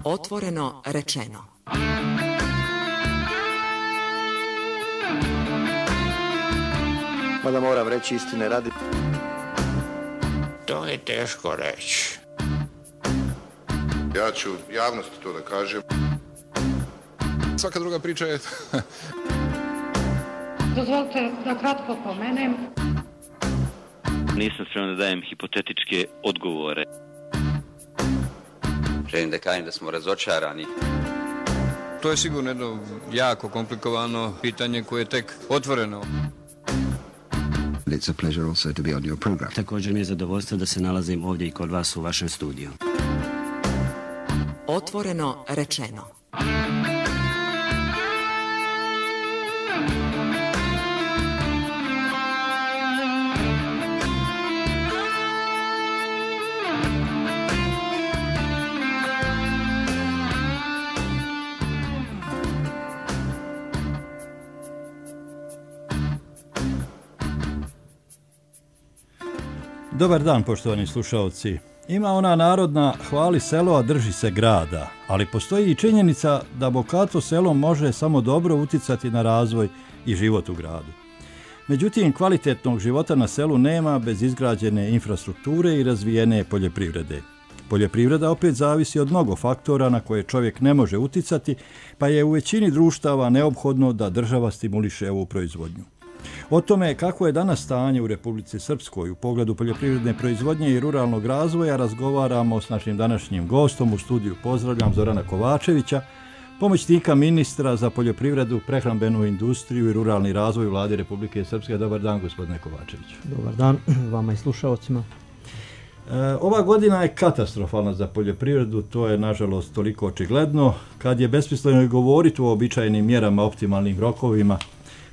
Otvoreno rečeno. Mada moram reći istine radi. To je teško reći. Ja ću javnosti to da kažem. Svaka druga priča je... Dozvolite da kratko pomenem. Nisam spreman da dajem hipotetičke odgovore. Želim da kažem da smo razočarani. To je sigurno jedno jako komplikovano pitanje koje je tek otvoreno. It's a pleasure also to be on your program. Također mi je zadovoljstvo da se nalazim ovdje i kod vas u vašem studiju. Otvoreno rečeno. Dobar dan, poštovani slušalci. Ima ona narodna hvali selo, a drži se grada, ali postoji i činjenica da bogato selo može samo dobro uticati na razvoj i život u gradu. Međutim, kvalitetnog života na selu nema bez izgrađene infrastrukture i razvijene poljoprivrede. Poljoprivreda opet zavisi od mnogo faktora na koje čovjek ne može uticati, pa je u većini društava neophodno da država stimuliše ovu proizvodnju. O tome kako je danas stanje u Republici Srpskoj u pogledu poljoprivredne proizvodnje i ruralnog razvoja razgovaramo s našim današnjim gostom. U studiju pozdravljam Zorana Kovačevića, pomoćnika ministra za poljoprivredu, prehrambenu industriju i ruralni razvoj Vlade Republike Srpske. Dobar dan, gospodine Kovačeviću. Dobar dan vama i slušalcima. Ova godina je katastrofalna za poljoprivredu, to je nažalost toliko očigledno. Kad je besmisleno i govoriti o običajnim mjerama, optimalnim rokovima,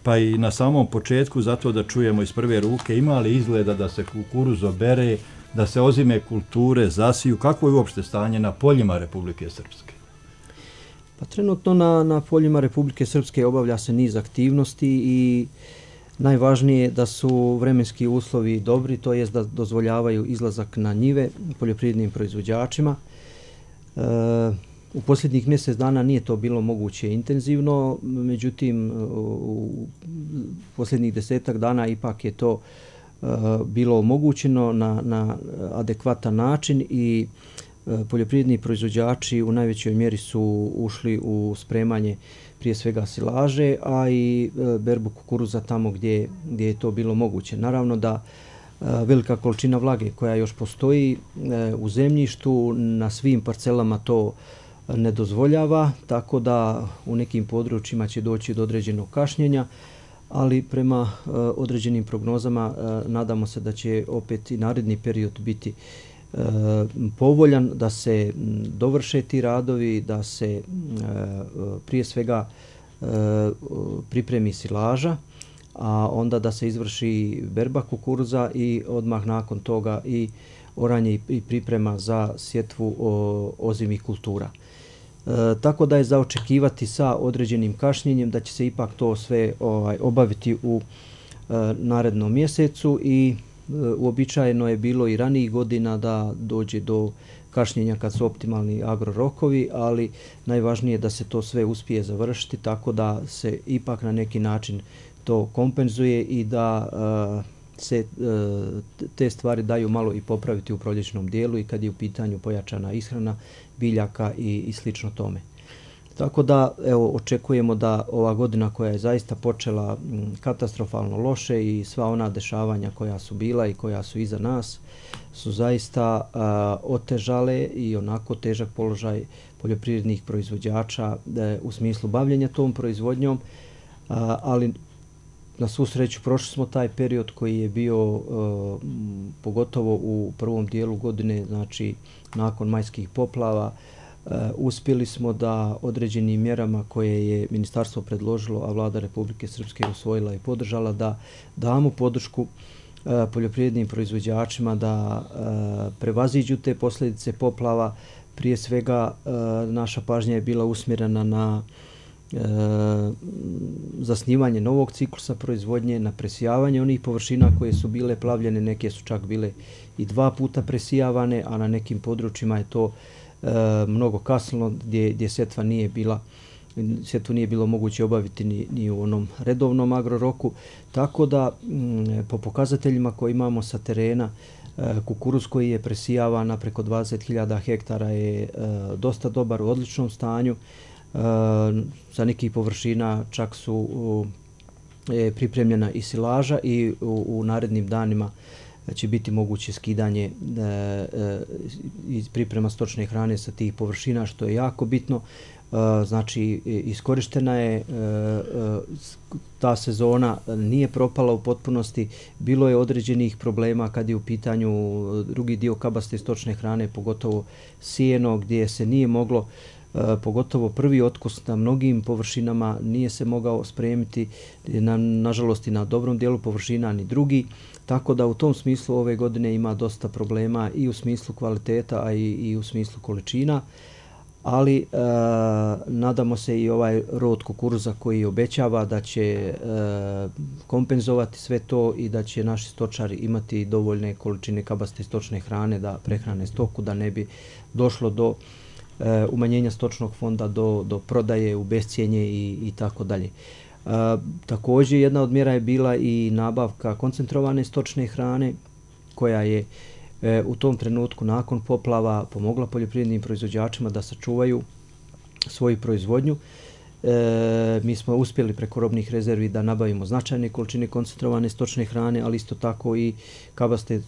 pa i na samom početku, zato da čujemo iz prve ruke, ima li izgleda da se kukuruz obere, da se ozime kulture zasiju, kako je uopšte stanje na poljima Republike Srpske? Pa trenutno na poljima Republike Srpske obavlja se niz aktivnosti i najvažnije je da su vremenski uslovi dobri, to jest da dozvoljavaju izlazak na njive poljoprivrednim proizvođačima. U posljednjih mjesec dana nije to bilo moguće intenzivno, međutim u posljednjih 10 dana ipak je to bilo omogućeno na adekvatan način i poljoprivredni proizvođači u najvećoj mjeri su ušli u spremanje prije svega silaže, a i berbu kukuruza tamo gdje je to bilo moguće. Naravno da velika količina vlage koja još postoji u zemljištu na svim parcelama to ne dozvoljava, tako da u nekim područjima će doći do određenog kašnjenja, ali prema određenim prognozama nadamo se da će opet i naredni period biti povoljan, da se dovrše ti radovi, da se prije svega pripremi silaža, a onda da se izvrši berba kukuruza i odmah nakon toga i oranje i priprema za sjetvu ozimih kultura. Tako da je za očekivati sa određenim kašnjenjem da će se ipak to sve obaviti u narednom mjesecu i uobičajeno je bilo i ranijih godina da dođe do kašnjenja kad su optimalni agrorokovi, ali najvažnije je da se to sve uspije završiti tako da se ipak na neki način to kompenzuje i da se te stvari daju malo i popraviti u proljećnom dijelu i kad je u pitanju pojačana ishrana biljaka i slično tome. Tako da evo očekujemo da ova godina koja je zaista počela katastrofalno loše i sva ona dešavanja koja su bila i koja su iza nas su zaista otežale i onako težak položaj poljoprivrednih proizvođača u smislu bavljenja tom proizvodnjom, ali na svu sreću prošli smo taj period koji je bio pogotovo u prvom dijelu godine, znači nakon majskih poplava, uspjeli smo da određenim mjerama koje je ministarstvo predložilo, a Vlada Republike Srpske usvojila i podržala, da damo podršku poljoprivrednim proizvođačima da prevaziđu te posljedice poplava. Prije svega naša pažnja je bila usmjerena na zasnivanje novog ciklusa proizvodnje, na presijavanje onih površina koje su bile plavljene, neke su čak bile i 2 puta presijavane, a na nekim područjima je to mnogo kasnilo, gdje sjetvu nije bilo moguće obaviti ni u onom redovnom agroroku. Tako da po pokazateljima koje imamo sa terena, kukuruz koji je presijavan na preko 20.000 hektara je dosta dobar, u odličnom stanju. Za nekih površina čak su pripremljena i silaža i u narednim danima će biti moguće skidanje i priprema stočne hrane sa tih površina, što je jako bitno. Znači, iskorištena je ta sezona, nije propala u potpunosti, bilo je određenih problema kad je u pitanju drugi dio kabaste stočne hrane, pogotovo sijeno, gdje se nije moglo, pogotovo prvi otkus na mnogim površinama nije se mogao spremiti, nažalost i na dobrom dijelu površina ni drugi, tako da u tom smislu ove godine ima dosta problema i u smislu kvaliteta, a i u smislu količina. Ali nadamo se i ovaj rod kukuruza koji obećava da će kompenzovati sve to i da će naši stočari imati dovoljne količine kabaste stočne hrane da prehrane stoku, da ne bi došlo do umanjenja stočnog fonda, do prodaje u bescijenje i tako dalje. Također jedna od mjera je bila i nabavka koncentrovane stočne hrane koja je u tom trenutku nakon poplava pomogla poljoprivrednim proizvođačima da sačuvaju svoju proizvodnju. Mi smo uspjeli preko robnih rezervi da nabavimo značajne količine koncentrovane stočne hrane, ali isto tako i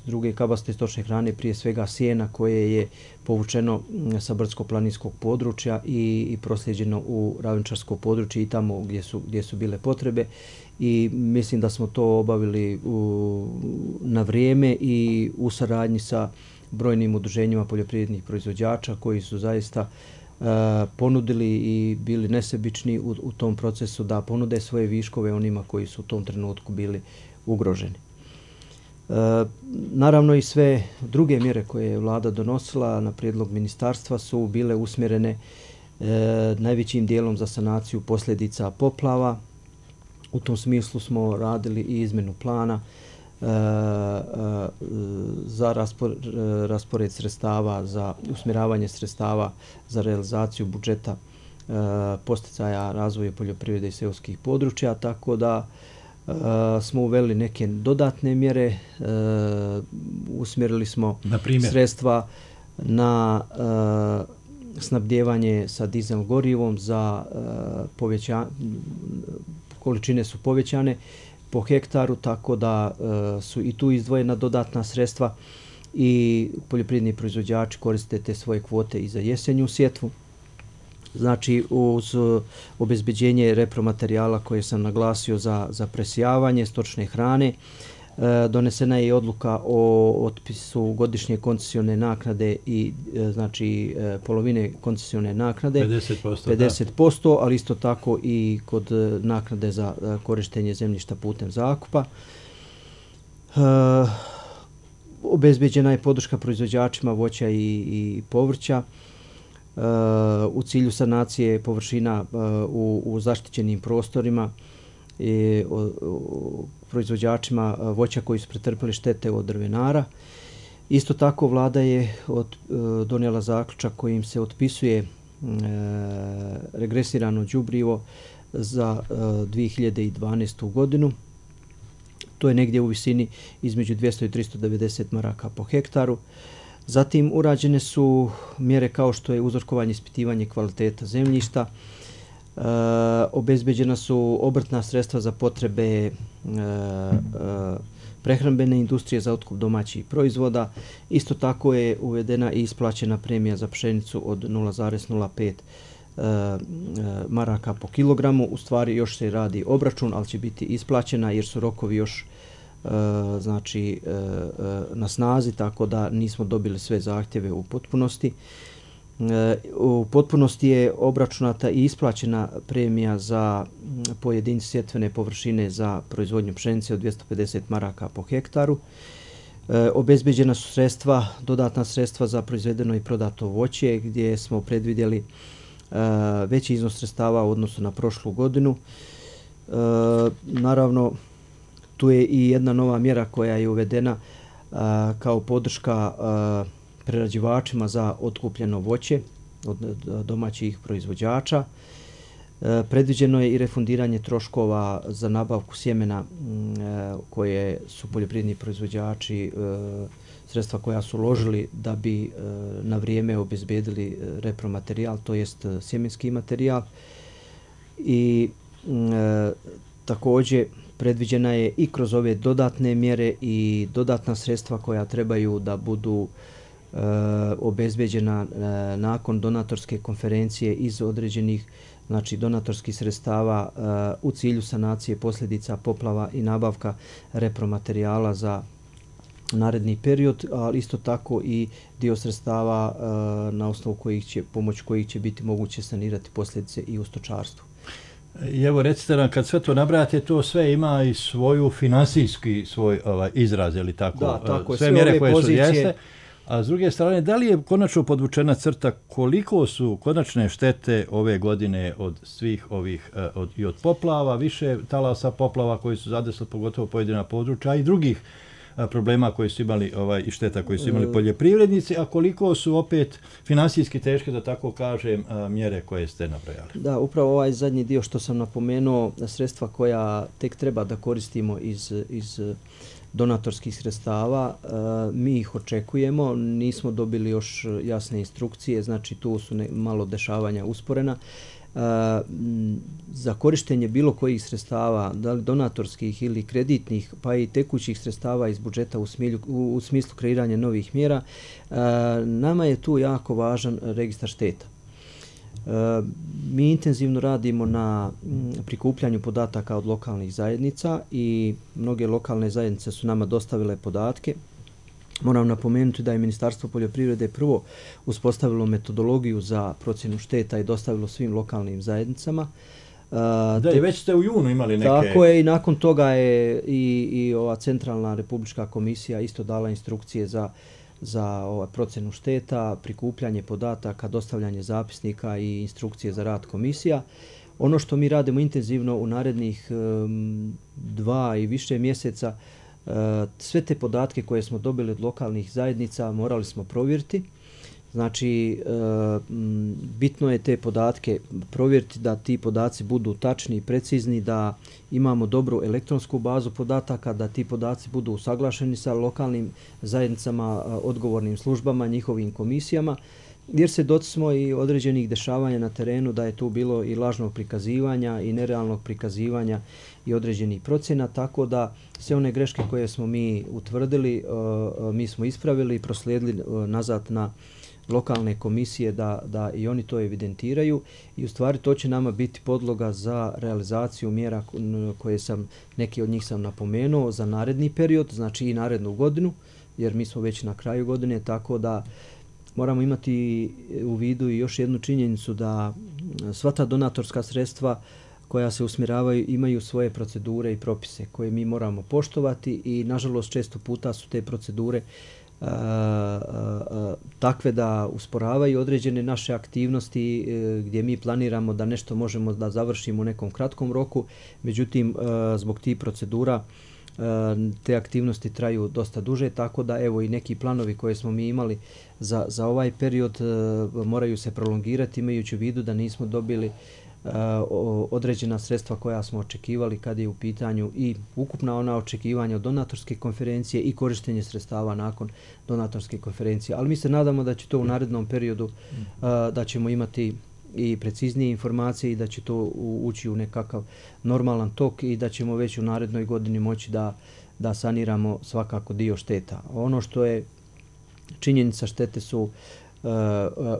druge kabaste stočne hrane, prije svega sjena koje je povučeno sa brdsko-planinskog područja i proslijeđeno u ravničarsko područje i tamo gdje su bile potrebe. I mislim da smo to obavili na vrijeme i u saradnji sa brojnim udruženjima poljoprivrednih proizvođača koji su zaista ponudili i bili nesebični u tom procesu da ponude svoje viškove onima koji su u tom trenutku bili ugroženi. Naravno i sve druge mjere koje je vlada donosila na prijedlog ministarstva su bile usmjerene najvećim dijelom za sanaciju posljedica poplava. U tom smislu smo radili i izmjenu plana za raspored sredstava, za usmjeravanje sredstava za realizaciju budžeta posticaja razvoja poljoprivrede i seoskih područja, tako da smo uveli neke dodatne mjere, usmjerili smo sredstva na snabdijevanje sa dizel gorivom za količine su povećane po hektaru, tako da su i tu izdvojena dodatna sredstva i poljoprivredni proizvođači koriste te svoje kvote i za jesenju sjetvu. Znači, uz obezbeđenje repromaterijala koje sam naglasio za presijavanje stočne hrane, donesena je i odluka o otpisu godišnje koncesione naknade i znači polovine koncesione naknade 50%, ali isto tako i kod naknade za korištenje zemljišta putem zakupa. Obezbeđena je podrška proizvođačima voća i povrća u cilju sanacije površina u zaštićenim prostorima i proizvođačima voća koji su pretrpeli štete od drvenara. Isto tako vlada je donijela zaključak kojim se otpisuje regresirano đubrivo za 2012. godinu. To je negdje u visini između 200 i 390 maraka po hektaru. Zatim urađene su mjere kao što je uzorkovanje i ispitivanje kvaliteta zemljišta. Obezbeđena su obrtna sredstva za potrebe prehrambene industrije za otkup domaćih proizvoda. Isto tako je uvedena i isplaćena premija za pšenicu od 0,05 maraka po kilogramu. U stvari još se radi obračun, ali će biti isplaćena jer su rokovi još na snazi, tako da nismo dobili sve zahtjeve u potpunosti. U potpunosti je obračunata i isplaćena premija za pojedince sjetvene površine za proizvodnju pšenice od 250 maraka po hektaru. Obezbeđena su sredstva, dodatna sredstva za proizvedeno i prodato voće, gdje smo predvidjeli veći iznos sredstava u odnosu na prošlu godinu. Naravno, tu je i jedna nova mjera koja je uvedena kao podrška prerađivačima za otkupljeno voće. od domaćih proizvođača. Predviđeno je i refundiranje troškova za nabavku sjemena koje su poljoprivredni proizvođači, sredstva koja su uložili da bi na vrijeme obezbedili repromaterijal, to jest sjemenski materijal. I također predviđena je i kroz ove dodatne mjere i dodatna sredstva koja trebaju da budu obezbeđena nakon donatorske konferencije iz određenih donatorskih sredstava u cilju sanacije posljedica poplava i nabavka repromaterijala za naredni period, ali isto tako i dio sredstava na osnovu pomoć kojih će biti moguće sanirati posljedice i u stočarstvu. I evo recite nam, kad sve to nabrajate, to sve ima i svoju finansijski svoj izraz, ili tako? Da, tako. Sve mjere koje su jeste. A s druge strane, da li je konačno podvučena crta koliko su konačne štete ove godine od svih ovih, i od poplava, više talasa poplava koji su zadesli pogotovo pojedina područja i drugih problema koji su imali i šteta koji su imali poljoprivrednici, a koliko su opet finansijski teške, da tako kažem, mjere koje ste nabrojali? Da, upravo ovaj zadnji dio što sam napomenuo, sredstva koja tek treba da koristimo iz donatorskih sredstava, mi ih očekujemo, nismo dobili još jasne instrukcije, znači tu su malo dešavanja usporena. Za korištenje bilo kojih sredstava, da li donatorskih ili kreditnih, pa i tekućih sredstava iz budžeta u smislu kreiranja novih mjera, nama je tu jako važan registar šteta. Mi intenzivno radimo na prikupljanju podataka od lokalnih zajednica i mnoge lokalne zajednice su nama dostavile podatke. Moram napomenuti da je Ministarstvo poljoprivrede prvo uspostavilo metodologiju za procjenu šteta i dostavilo svim lokalnim zajednicama. Da, i već ste u junu imali neke... Tako je, i nakon toga je i ova Centralna republička komisija isto dala instrukcije za procjenu šteta, prikupljanje podataka, dostavljanje zapisnika i instrukcije za rad komisija. Ono što mi radimo intenzivno u narednih 2 i više mjeseca, sve te podatke koje smo dobili od lokalnih zajednica morali smo provjeriti. Znači, bitno je te podatke provjeriti, da ti podaci budu tačni i precizni, da imamo dobru elektronsku bazu podataka, da ti podaci budu usaglašeni sa lokalnim zajednicama, odgovornim službama, njihovim komisijama, jer se smo i određenih dešavanja na terenu da je tu bilo i lažnog prikazivanja i nerealnog prikazivanja i određenih procjena, tako da sve one greške koje smo mi utvrdili, mi smo ispravili i proslijedili nazad na lokalne komisije da i oni to evidentiraju, i u stvari to će nama biti podloga za realizaciju mjera koje neki od njih sam napomenuo za naredni period, znači i narednu godinu, jer mi smo već na kraju godine, tako da moramo imati u vidu i još jednu činjenicu, da sva ta donatorska sredstva koja se usmjeravaju imaju svoje procedure i propise koje mi moramo poštovati, i nažalost često puta su te procedure takve da usporavaju određene naše aktivnosti gdje mi planiramo da nešto možemo da završimo u nekom kratkom roku, međutim zbog tih procedura te aktivnosti traju dosta duže, tako da evo i neki planovi koje smo mi imali za ovaj period moraju se prolongirati, imajući u vidu da nismo dobili određena sredstva koja smo očekivali kad je u pitanju i ukupna ona očekivanja od donatorske konferencije i korištenje sredstava nakon donatorske konferencije. Ali mi se nadamo da će to u narednom periodu, da ćemo imati i preciznije informacije i da će to ući u nekakav normalan tok i da ćemo već u narednoj godini moći da saniramo svakako dio šteta. Ono što je činjenica, štete su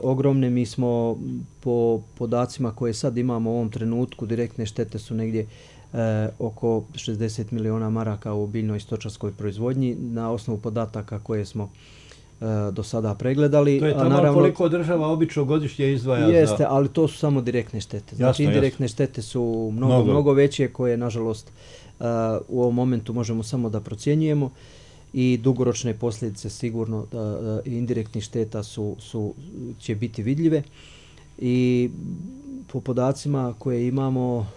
ogromne. Mi smo po podacima koje sad imamo u ovom trenutku, direktne štete su negdje oko 60 miliona maraka u biljnoj stočarskoj proizvodnji na osnovu podataka koje smo do sada pregledali. To je tamo koliko država obično godišnje izdvaja jeste, ali to su samo direktne štete. Znači indirektne štete su mnogo veće, koje nažalost u ovom momentu možemo samo da procjenjujemo, i dugoročne posljedice sigurno indirektnih šteta će biti vidljive. I po podacima koje imamo,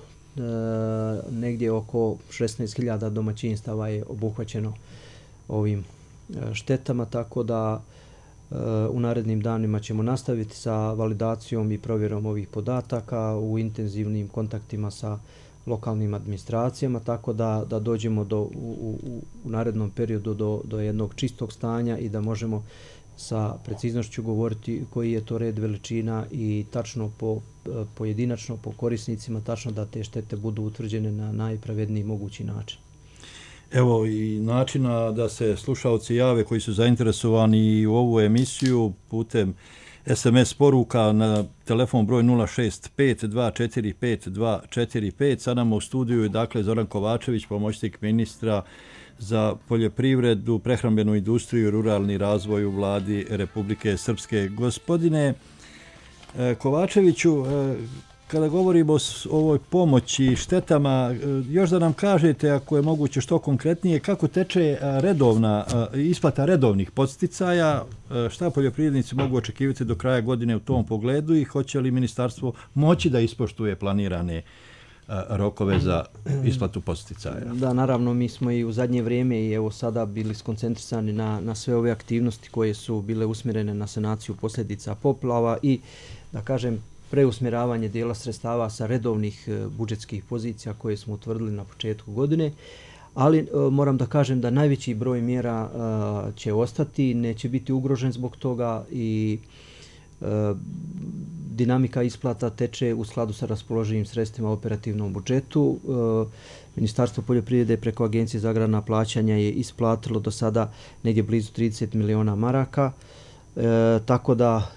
negdje oko 16.000 domaćinstava je obuhvaćeno ovim štetama, tako da U narednim danima ćemo nastaviti sa validacijom i provjerom ovih podataka u intenzivnim kontaktima sa lokalnim administracijama, tako da dođemo u narednom periodu do jednog čistog stanja i da možemo sa preciznošću govoriti koji je to red veličina i tačno pojedinačno po korisnicima, tačno da te štete budu utvrđene na najpravedniji mogući način. Evo i načina da se slušaoci jave koji su zainteresovani u ovu emisiju putem SMS poruka na telefon broj 065-245-245. Sad nam u studiju je dakle Zoran Kovačević, pomoćnik ministra za poljoprivredu, prehrambenu industriju i ruralni razvoj u vladi Republike Srpske. Gospodine Kovačeviću, kada govorimo o ovoj pomoći i štetama, još da nam kažete, ako je moguće što konkretnije, kako teče isplata redovnih podsticaja, šta poljoprivrednici mogu očekivati do kraja godine u tom pogledu i hoće li ministarstvo moći da ispoštuje planirane rokove za isplatu podsticaja? Da, naravno, mi smo i u zadnje vrijeme i evo sada bili skoncentrisani na sve ove aktivnosti koje su bile usmjerene na sanaciju posljedica poplava i, da kažem, preusmjeravanje dijela sredstava sa redovnih budžetskih pozicija koje smo utvrdili na početku godine, ali moram da kažem da najveći broj mjera će ostati, neće biti ugrožen zbog toga i dinamika isplata teče u skladu sa raspoloživim sredstvima u operativnom budžetu. Ministarstvo poljoprivrede preko Agencije za agrarna plaćanja je isplatilo do sada negdje blizu 30 miliona maraka. Tako da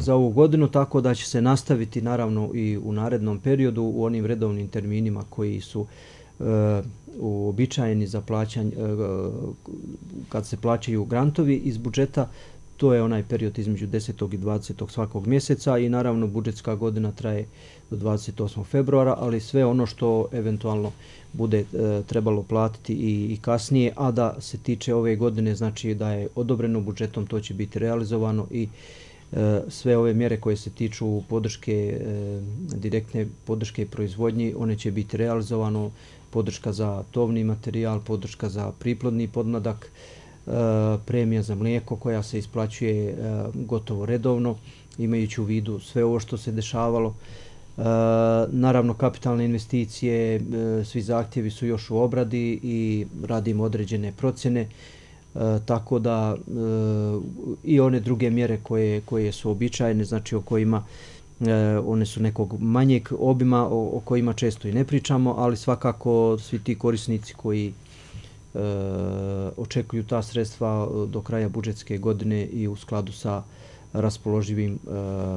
za ovu godinu, tako da će se nastaviti naravno i u narednom periodu u onim redovnim terminima koji su uobičajeni za plaćanje, kad se plaćaju grantovi iz budžeta. To je onaj period između 10. i 20. svakog mjeseca i naravno budžetska godina traje do 28. februara, ali sve ono što eventualno bude trebalo platiti i kasnije, a da se tiče ove godine, znači da je odobreno budžetom, to će biti realizovano i sve ove mjere koje se tiču podrške, direktne podrške proizvodnji, one će biti realizovano, podrška za tovni materijal, podrška za priplodni podmladak, premija za mlijeko koja se isplaćuje gotovo redovno, imajući u vidu sve ovo što se dešavalo. Naravno, kapitalne investicije, svi zahtjevi su još u obradi i radimo određene procjene, tako da i one druge mjere koje su običajne, znači o kojima one su nekog manjeg obima, o kojima često i ne pričamo, ali svakako svi ti korisnici koji očekuju ta sredstva do kraja budžetske godine i u skladu sa raspoloživim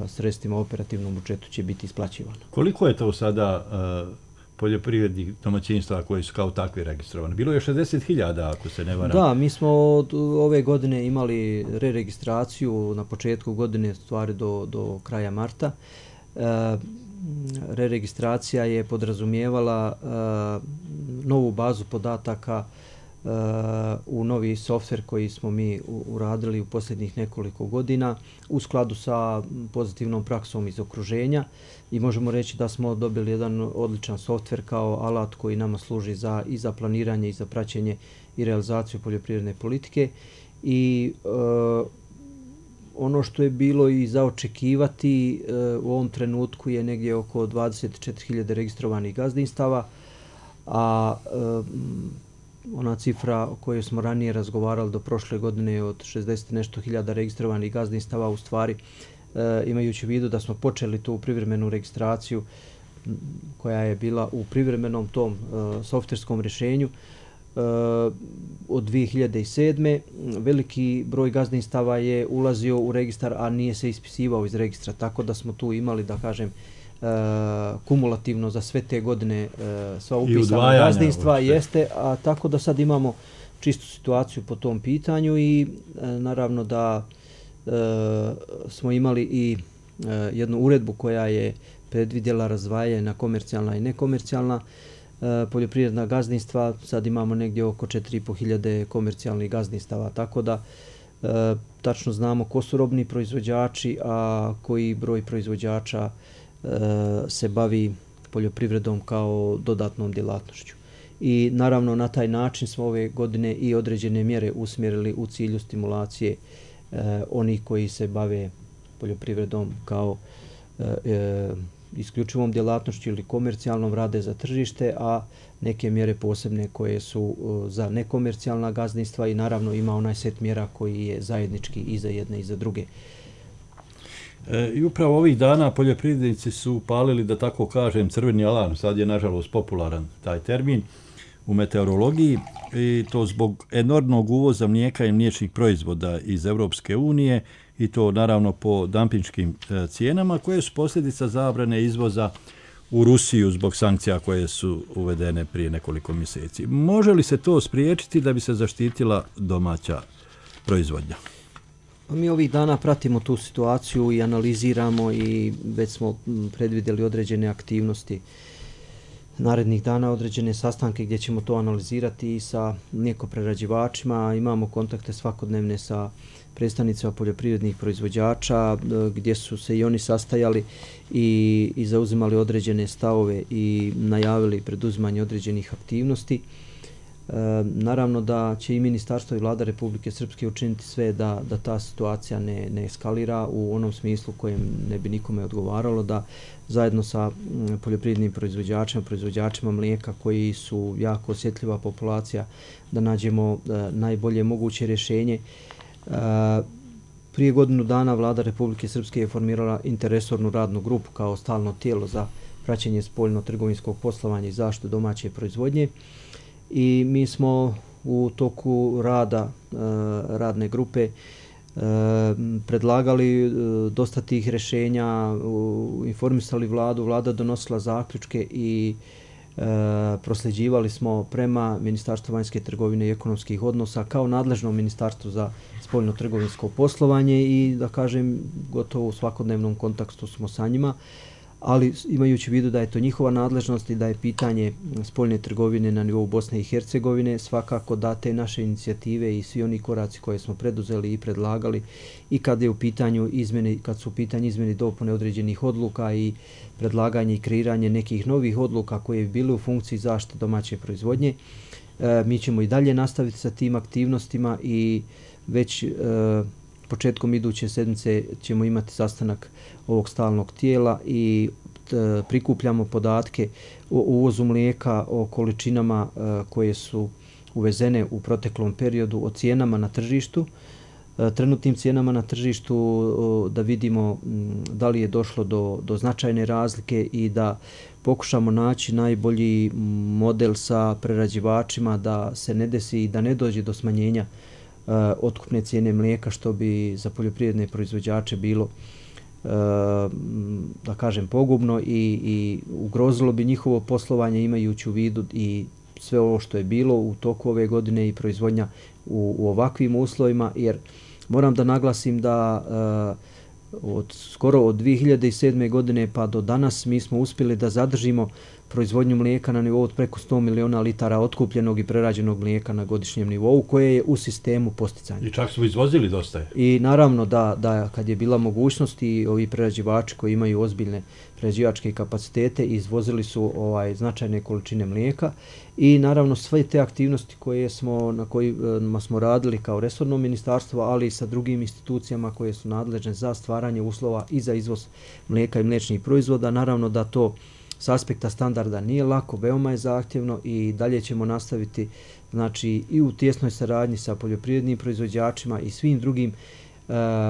sredstvima u operativnom budžetu će biti isplaćivano. Koliko je to sada poljoprivrednih domaćinstva koji su kao takvi registrovani? Bilo je 60.000, ako se ne varam. Da, mi smo ove godine imali reregistraciju na početku godine, stvari do kraja marta. Reregistracija je podrazumijevala novu bazu podataka u novi softver koji smo mi uradili u posljednjih nekoliko godina u skladu sa pozitivnom praksom iz okruženja i možemo reći da smo dobili jedan odličan softver kao alat koji nama služi i za planiranje i za praćenje i realizaciju poljoprivredne politike i ono što je bilo i za očekivati u ovom trenutku je negdje oko 24.000 registrovanih gazdinstava, a ona cifra o kojoj smo ranije razgovarali do prošle godine od 60 nešto hiljada registrovanih gazdinstava, u stvari imajući u vidu da smo počeli tu privremenu registraciju koja je bila u privremenom tom softverskom rješenju od 2007. Veliki broj gazdinstava je ulazio u registar, a nije se ispisivao iz registra, tako da smo tu imali, da kažem, kumulativno za sve te godine sva upisana gazdinstva jeste, a tako da sad imamo čistu situaciju po tom pitanju i naravno da smo imali i jednu uredbu koja je predvidjela razdvajanje na komercijalna i nekomercijalna poljoprivredna gazdinstva. Sad imamo negdje oko 4.500 komercijalnih gazdinstava, tako da tačno znamo ko su robni proizvođači, a koji broj proizvođača se bavi poljoprivredom kao dodatnom djelatnošću. I naravno na taj način smo ove godine i određene mjere usmjerili u cilju stimulacije oni koji se bave poljoprivredom kao isključivom djelatnošću ili komercijalnom rade za tržište, a neke mjere posebne koje su za nekomercijalna gazdinstva i naravno ima onaj set mjera koji je zajednički i za jedne i za druge. I upravo ovih dana poljoprivrednici su palili, da tako kažem, crveni alarm. Sad je nažalost popularan taj termin u meteorologiji i to zbog enormnog uvoza mlijeka i mliječnih proizvoda iz Europske unije i to naravno po dampinškim cijenama koje su posljedica zabrane izvoza u Rusiju zbog sankcija koje su uvedene prije nekoliko mjeseci. Može li se to spriječiti da bi se zaštitila domaća proizvodnja? Mi ovih dana pratimo tu situaciju i analiziramo i već smo predvidjeli određene aktivnosti narednih dana, određene sastanke gdje ćemo to analizirati i sa mlijekoprerađivačima. Imamo kontakte svakodnevne sa predstavnicima poljoprivrednih proizvođača gdje su se i oni sastajali i zauzimali određene stavove i najavili preduzimanje određenih aktivnosti. Naravno da će i ministarstvo i vlada Republike Srpske učiniti sve da ta situacija ne eskalira u onom smislu kojem ne bi nikome odgovaralo, da zajedno sa poljoprivrednim proizvođačima mlijeka koji su jako osjetljiva populacija, da nađemo najbolje moguće rješenje. Prije godinu dana vlada Republike Srpske je formirala interresornu radnu grupu kao stalno tijelo za praćenje spoljno-trgovinskog poslovanja i zaštitu domaće proizvodnje. I mi smo u toku rada radne grupe predlagali dosta tih rješenja, informisali vladu, vlada donosila zaključke i prosljeđivali smo prema Ministarstvu vanjske trgovine i ekonomskih odnosa kao nadležno ministarstvo za spoljno-trgovinsko poslovanje i da kažem gotovo u svakodnevnom kontaktu smo sa njima. Ali imajući u vidu da je to njihova nadležnost i da je pitanje spoljne trgovine na nivou Bosne i Hercegovine, svakako da te naše inicijative i svi oni koraci koje smo preduzeli i predlagali i kad su u pitanju izmjene i dopune određenih odluka i predlaganje i kreiranje nekih novih odluka koje bi bile u funkciji zaštite domaće proizvodnje, mi ćemo i dalje nastaviti sa tim aktivnostima i već početkom iduće sedmice ćemo imati sastanak ovog stalnog tijela i prikupljamo podatke o uvozu mlijeka, o količinama koje su uvezene u proteklom periodu, o cijenama na tržištu, trenutnim cijenama na tržištu, da vidimo da li je došlo do značajne razlike i da pokušamo naći najbolji model sa prerađivačima da se ne desi i da ne dođe do smanjenja otkupne cijene mlijeka, što bi za poljoprivredne proizvođače bilo da kažem pogubno i ugrozilo bi njihovo poslovanje imajući u vidu i sve ovo što je bilo u toku ove godine i proizvodnja u ovakvim uslovima, jer moram da naglasim da skoro od 2007. godine pa do danas mi smo uspjeli da zadržimo proizvodnju mlijeka na nivou od preko 100 miliona litara otkupljenog i prerađenog mlijeka na godišnjem nivou koje je u sistemu posticanja. I čak su izvozili dosta. I naravno da kad je bila mogućnost i ovi prerađivači koji imaju ozbiljne prerađivačke kapacitete izvozili su značajne količine mlijeka i naravno sve te aktivnosti na kojima smo radili kao resorno ministarstvo, ali i sa drugim institucijama koje su nadležne za stvaranje uslova i za izvoz mlijeka i mliječnih proizvoda, naravno da to s aspekta standarda nije lako, veoma je zahtjevno i dalje ćemo nastaviti znači i u tjesnoj saradnji sa poljoprivrednim proizvođačima i svim drugim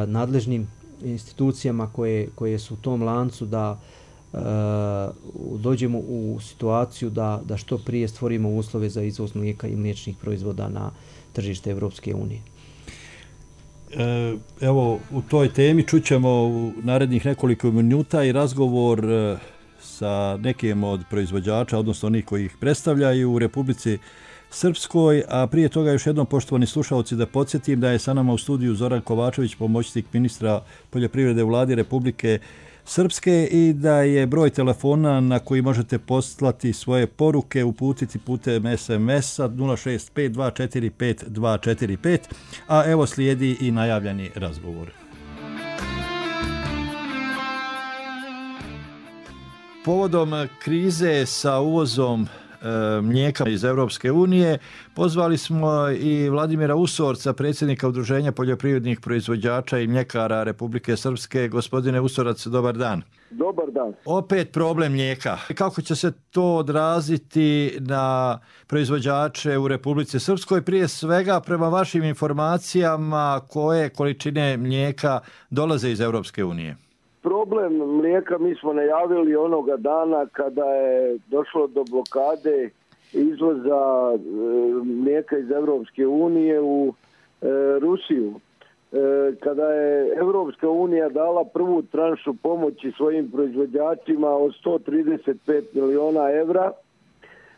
nadležnim institucijama koje su u tom lancu da dođemo u situaciju da što prije stvorimo uslove za izvoz mlijeka i mliječnih proizvoda na tržište Evropske unije. Evo, u toj temi čućemo u narednih nekoliko minuta i razgovor sa nekim od proizvođača, odnosno onih koji ih predstavljaju u Republici Srpskoj, a prije toga još jednom, poštovani slušalci, da podsjetim da je sa nama u studiju Zoran Kovačević, pomoćnik ministra poljoprivrede u vladi Republike Srpske i da je broj telefona na koji možete poslati svoje poruke, uputiti putem SMS-a 065245245, a evo slijedi i najavljeni razgovor. Povodom krize sa uvozom mlijeka iz Europske unije. Pozvali smo i Vladimira Usorca, predsjednika Udruženja poljoprivrednih proizvođača i mljekara Republike Srpske. Gospodine Usorac, dobar dan. Dobar dan. Opet problem mlijeka. Kako će se to odraziti na proizvođače u Republici Srpskoj? Prije svega, prema vašim informacijama, koje količine mlijeka dolaze iz Europske unije? Problem mlijeka mi smo najavili onoga dana kada je došlo do blokade izvoza mlijeka iz Europske unije u Rusiju. Kada je Europska unija dala prvu tranšu pomoći svojim proizvođačima od 135 miliona evra,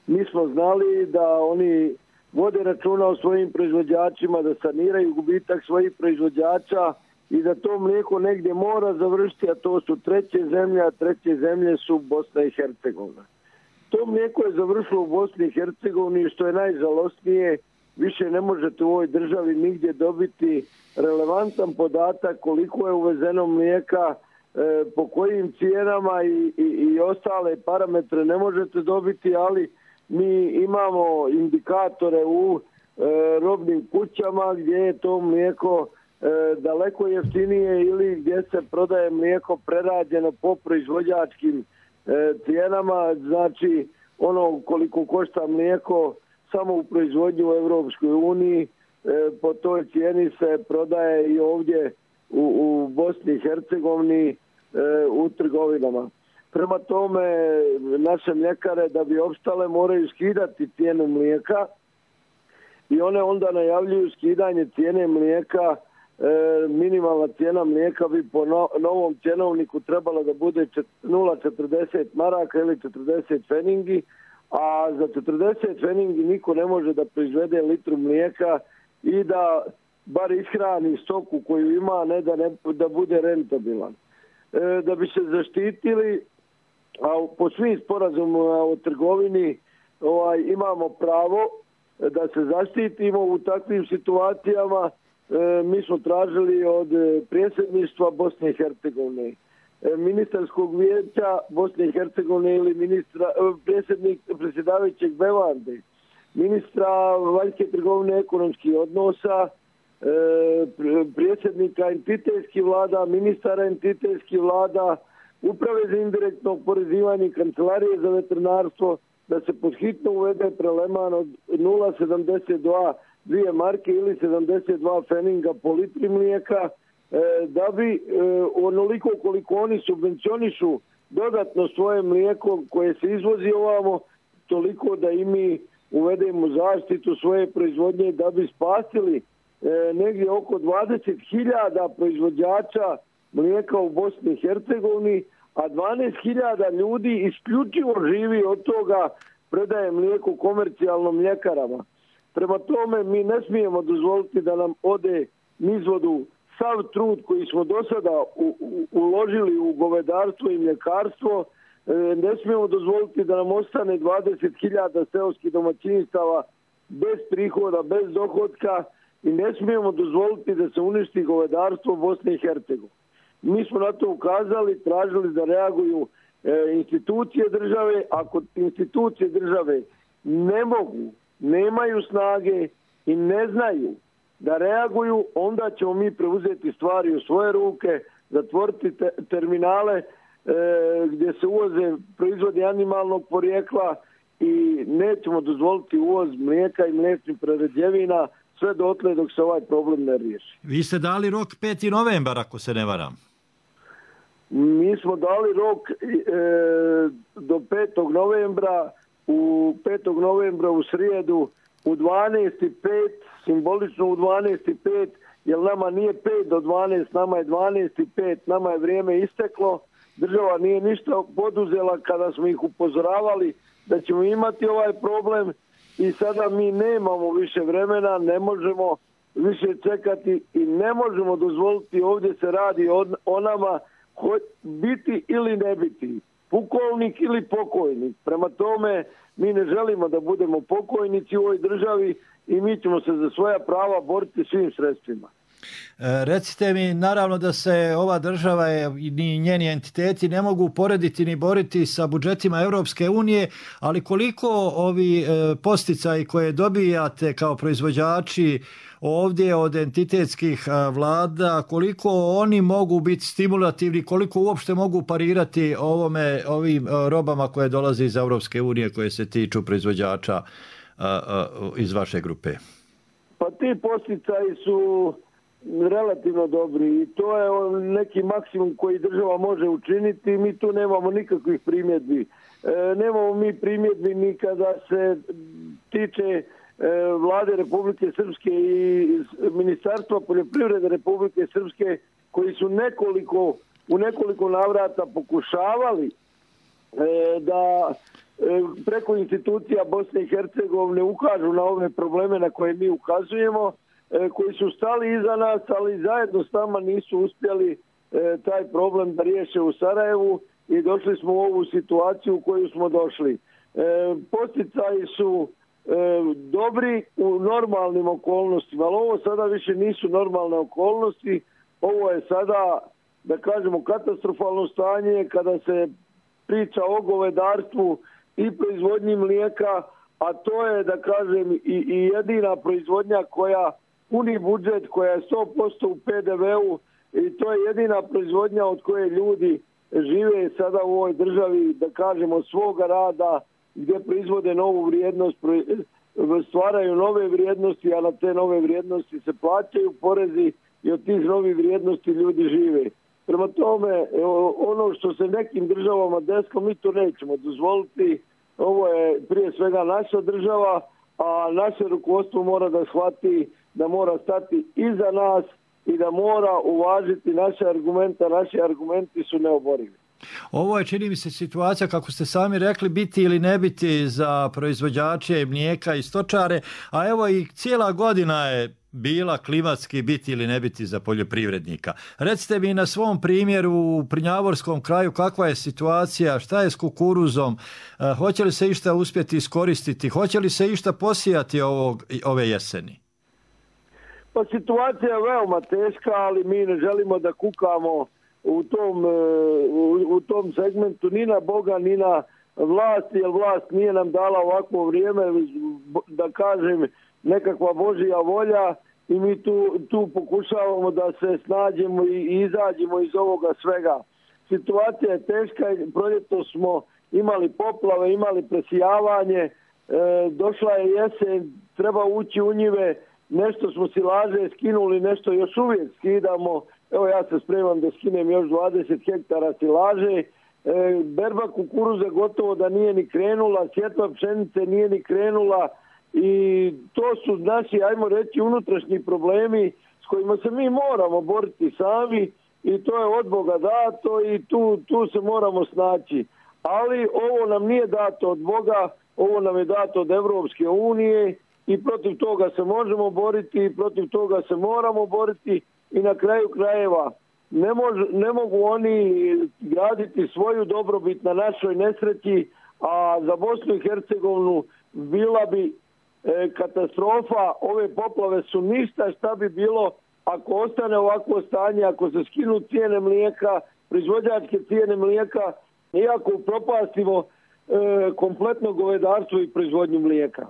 mi smo znali da oni vode računa o svojim proizvođačima, da saniraju gubitak svojih proizvođača i da to mlijeko negdje mora završiti, a to su treće zemlje, a treće zemlje su Bosna i Hercegovina. To mlijeko je završilo u Bosni i Hercegovini, što je najžalosnije. Više ne možete u ovoj državi nigdje dobiti relevantan podatak koliko je uvezeno mlijeka, po kojim cijenama i ostale parametre ne možete dobiti, ali mi imamo indikatore u robnim kućama gdje je to mlijeko daleko jeftinije ili gdje se prodaje mlijeko prerađeno po proizvođačkim cijenama, znači ono koliko košta mlijeko samo u proizvodnju u Europskoj uniji, po toj cijeni se prodaje i ovdje u Bosni i Hercegovini u trgovinama. Prema tome, naše mljekare da bi opstale moraju skidati cijenu mlijeka i one onda najavljuju skidanje cijene mlijeka. Minimalna cijena mlijeka bi po novom cjenovniku trebala da bude 0,40 maraka ili 40 feningi, a za 40 feningi niko ne može da proizvede litru mlijeka i da bar ishrani stoku koju ima, ne da bude rentabilan. Da bi se zaštitili, a po svim sporazumima o trgovini imamo pravo da se zaštitimo u takvim situacijama. Mi smo tražili od predsjedništva Bosne i Hercegovine, ministarskog vijeća Bosne i Hercegovine ili predsjedavajućeg Bevande, ministra vanjske trgovine ekonomskih odnosa, predsjednika entitetskih vlada, ministara entitetskih vlada, uprave za indirektno oporezivanje i kancelarije za veterinarstvo, da se podhitno uvede preleman od 0,72 2 marke ili 72 feninga po litri mlijeka, da bi onoliko koliko oni subvencionišu dodatno svoje mlijeko koje se izvozi ovamo, toliko da i mi uvedemo zaštitu svoje proizvodnje da bi spasili negdje oko 20.000 proizvođača mlijeka u Bosni i Hercegovini, a 12.000 ljudi isključivo živi od toga, predaje mlijeko komercijalnom mljekarama. Prema tome mi ne smijemo dozvoliti da nam ode nizvodu sav trud koji smo do sada uložili u govedarstvo i mljekarstvo. Ne smijemo dozvoliti da nam ostane 20.000 seoskih domaćinstava bez prihoda, bez dohotka i ne smijemo dozvoliti da se uništi govedarstvo Bosne i Hercegovine. Mi smo na to ukazali, tražili da reaguju institucije države. Ako institucije države ne mogu, nemaju snage i ne znaju da reaguju, onda ćemo mi preuzeti stvari u svoje ruke, zatvoriti terminale gdje se uvoze proizvodi animalnog porijekla i nećemo dozvoliti uvoz mlijeka i mliječnih prerađevina sve dotle dok se ovaj problem ne riješi. Vi ste dali rok 5. novembar, ako se ne varam. Mi smo dali rok do 5. novembra. U 5. novembra u srijedu u 12.05, simbolično u 12.05, jer nama nije 5 do 12, nama je 12.05, nama je vrijeme isteklo. Država nije ništa poduzela kada smo ih upozoravali da ćemo imati ovaj problem i sada mi nemamo više vremena, ne možemo više čekati i ne možemo dozvoliti, ovdje se radi o nama, biti ili ne biti, pukovnik ili pokojnik. Prema tome, mi ne želimo da budemo pokojnici u ovoj državi i mi ćemo se za svoja prava boriti svim sredstvima. Recite mi, naravno da se ova država ni njeni entiteti ne mogu porediti ni boriti sa budžetima Europske unije, ali koliko ovi posticaji koje dobijate kao proizvođači ovdje od entitetskih vlada, koliko oni mogu biti stimulativni, koliko uopšte mogu parirati ovim robama koje dolaze iz Europske unije koje se tiču proizvođača iz vaše grupe? Pa ti posticaji su relativno dobri i to je neki maksimum koji država može učiniti. Mi tu nemamo nikakvih primjedbi. Nemamo mi primjedbi ni kada se tiče Vlade Republike Srpske i Ministarstva poljoprivrede Republike Srpske, koji su u nekoliko navrata pokušavali da preko institucija Bosne i Hercegovine ukažu na ove probleme na koje mi ukazujemo, koji su stali iza nas, ali zajedno s nama nisu uspjeli taj problem da riješe u Sarajevu i došli smo u ovu situaciju u koju smo došli. Posticaji su dobri u normalnim okolnostima, ali ovo sada više nisu normalne okolnosti. Ovo je sada, da kažemo, katastrofalno stanje kada se priča o govedarstvu i proizvodnji mlijeka, a to je, da kažem, i jedina proizvodnja koja puni budžet, koja je 100% u PDV-u, i to je jedina proizvodnja od koje ljudi žive sada u ovoj državi, da kažemo, od svoga rada, gdje proizvode novu vrijednost, stvaraju nove vrijednosti, a na te nove vrijednosti se plaćaju porezi i od tih novih vrijednosti ljudi žive. Prema tome, ono što se nekim državama desilo, mi to nećemo dozvoliti. Ovo je prije svega naša država, a naše rukovodstvo mora da shvati da mora stati iza nas i da mora uvažiti naše argumente, a naši argumenti su neoborivi. Ovo je, čini mi se, situacija, kako ste sami rekli, biti ili ne biti za proizvođače mlijeka i stočare, a evo i cijela godina je bila klimatski biti ili ne biti za poljoprivrednika. Recite mi na svom primjeru u Prnjavorskom kraju kakva je situacija, šta je s kukuruzom, hoće li se išta uspjeti iskoristiti, hoće li se išta posijati ove jeseni? Pa situacija je veoma teška, ali mi ne želimo da kukamo u tom segmentu ni na Boga, ni na vlast, jer vlast nije nam dala ovakvo vrijeme, da kažem, nekakva Božja volja, i mi tu pokušavamo da se snađemo i izađemo iz ovoga svega. Situacija je teška, proljeto smo imali poplave, imali presijavanje, došla je jesen, treba ući u njive, nešto smo silaže skinuli, nešto još uvijek skidamo. Evo, ja se spremam da skinem još 20 hektara silaže. Berba kukuruza gotovo da nije ni krenula, sjetva pšenice nije ni krenula, i to su naši, ajmo reći, unutrašnji problemi s kojima se mi moramo boriti sami, i to je od Boga dato i tu se moramo snaći. Ali ovo nam nije dato od Boga, ovo nam je dato od Evropske unije i protiv toga se možemo boriti i protiv toga se moramo boriti, i na kraju krajeva ne mogu oni graditi svoju dobrobit na našoj nesreći, a za Bosnu i Hercegovinu bila bi katastrofa. Ove poplave su ništa šta bi bilo ako ostane ovakvo stanje, ako se skinu cijene mlijeka, proizvođačke cijene mlijeka, i ako propastimo kompletno govedarstvo i proizvodnju mlijeka.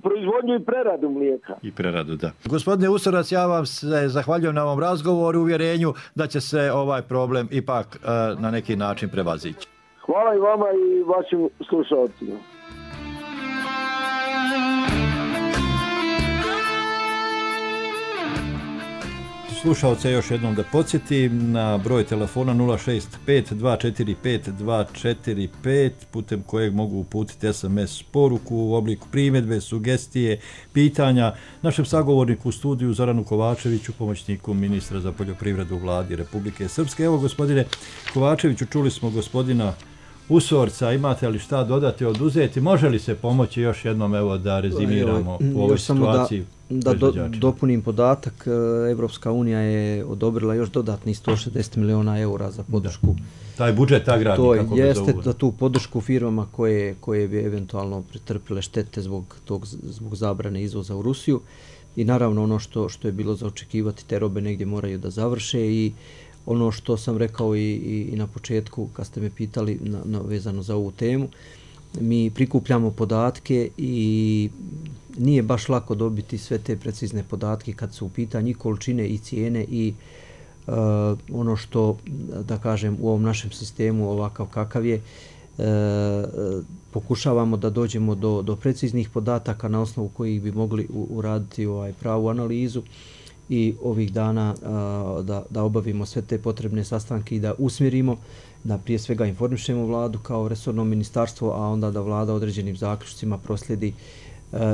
Proizvodnju i preradu mlijeka. I preradu, da. Gospodine Usorac, ja vam se zahvaljujem na ovom razgovoru, uvjerenju da će se ovaj problem ipak na neki način prevazići. Hvala i vama i vašim slušalcima. Slušalce još jednom da podsjetim na broj telefona 065-245-245 putem kojeg mogu uputiti SMS poruku u obliku primjedbe, sugestije, pitanja našem sagovorniku u studiju Zoranu Kovačeviću, pomoćniku ministra za poljoprivredu u Vladi Republike Srpske. Evo, gospodine Kovačeviću, čuli smo gospodina Usorca, imate li šta dodati, oduzeti? Može li se pomoći još jednom, evo, da rezimiramo u ovoj situaciji? Da dopunim podatak, Evropska unija je odobrila još dodatni 160 miliona eura za podršku. Taj budžet agrarni, kako ga jeste za tu podršku firmama koje bi eventualno pretrpile štete zbog zabrane izvoza u Rusiju. i naravno ono što je bilo za očekivati, te robe negdje moraju da završe i ono što sam rekao i na početku kad ste me pitali vezano za ovu temu, mi prikupljamo podatke i nije baš lako dobiti sve te precizne podatke kad su u pitanju i količine i cijene i ono što, da kažem, u ovom našem sistemu ovakav kakav je, pokušavamo da dođemo do preciznih podataka na osnovu kojih bi mogli uraditi pravu analizu i ovih dana da obavimo sve te potrebne sastanke i da usmjerimo, da prije svega informišemo vladu kao resorno ministarstvo, a onda da vlada određenim zaključcima proslijedi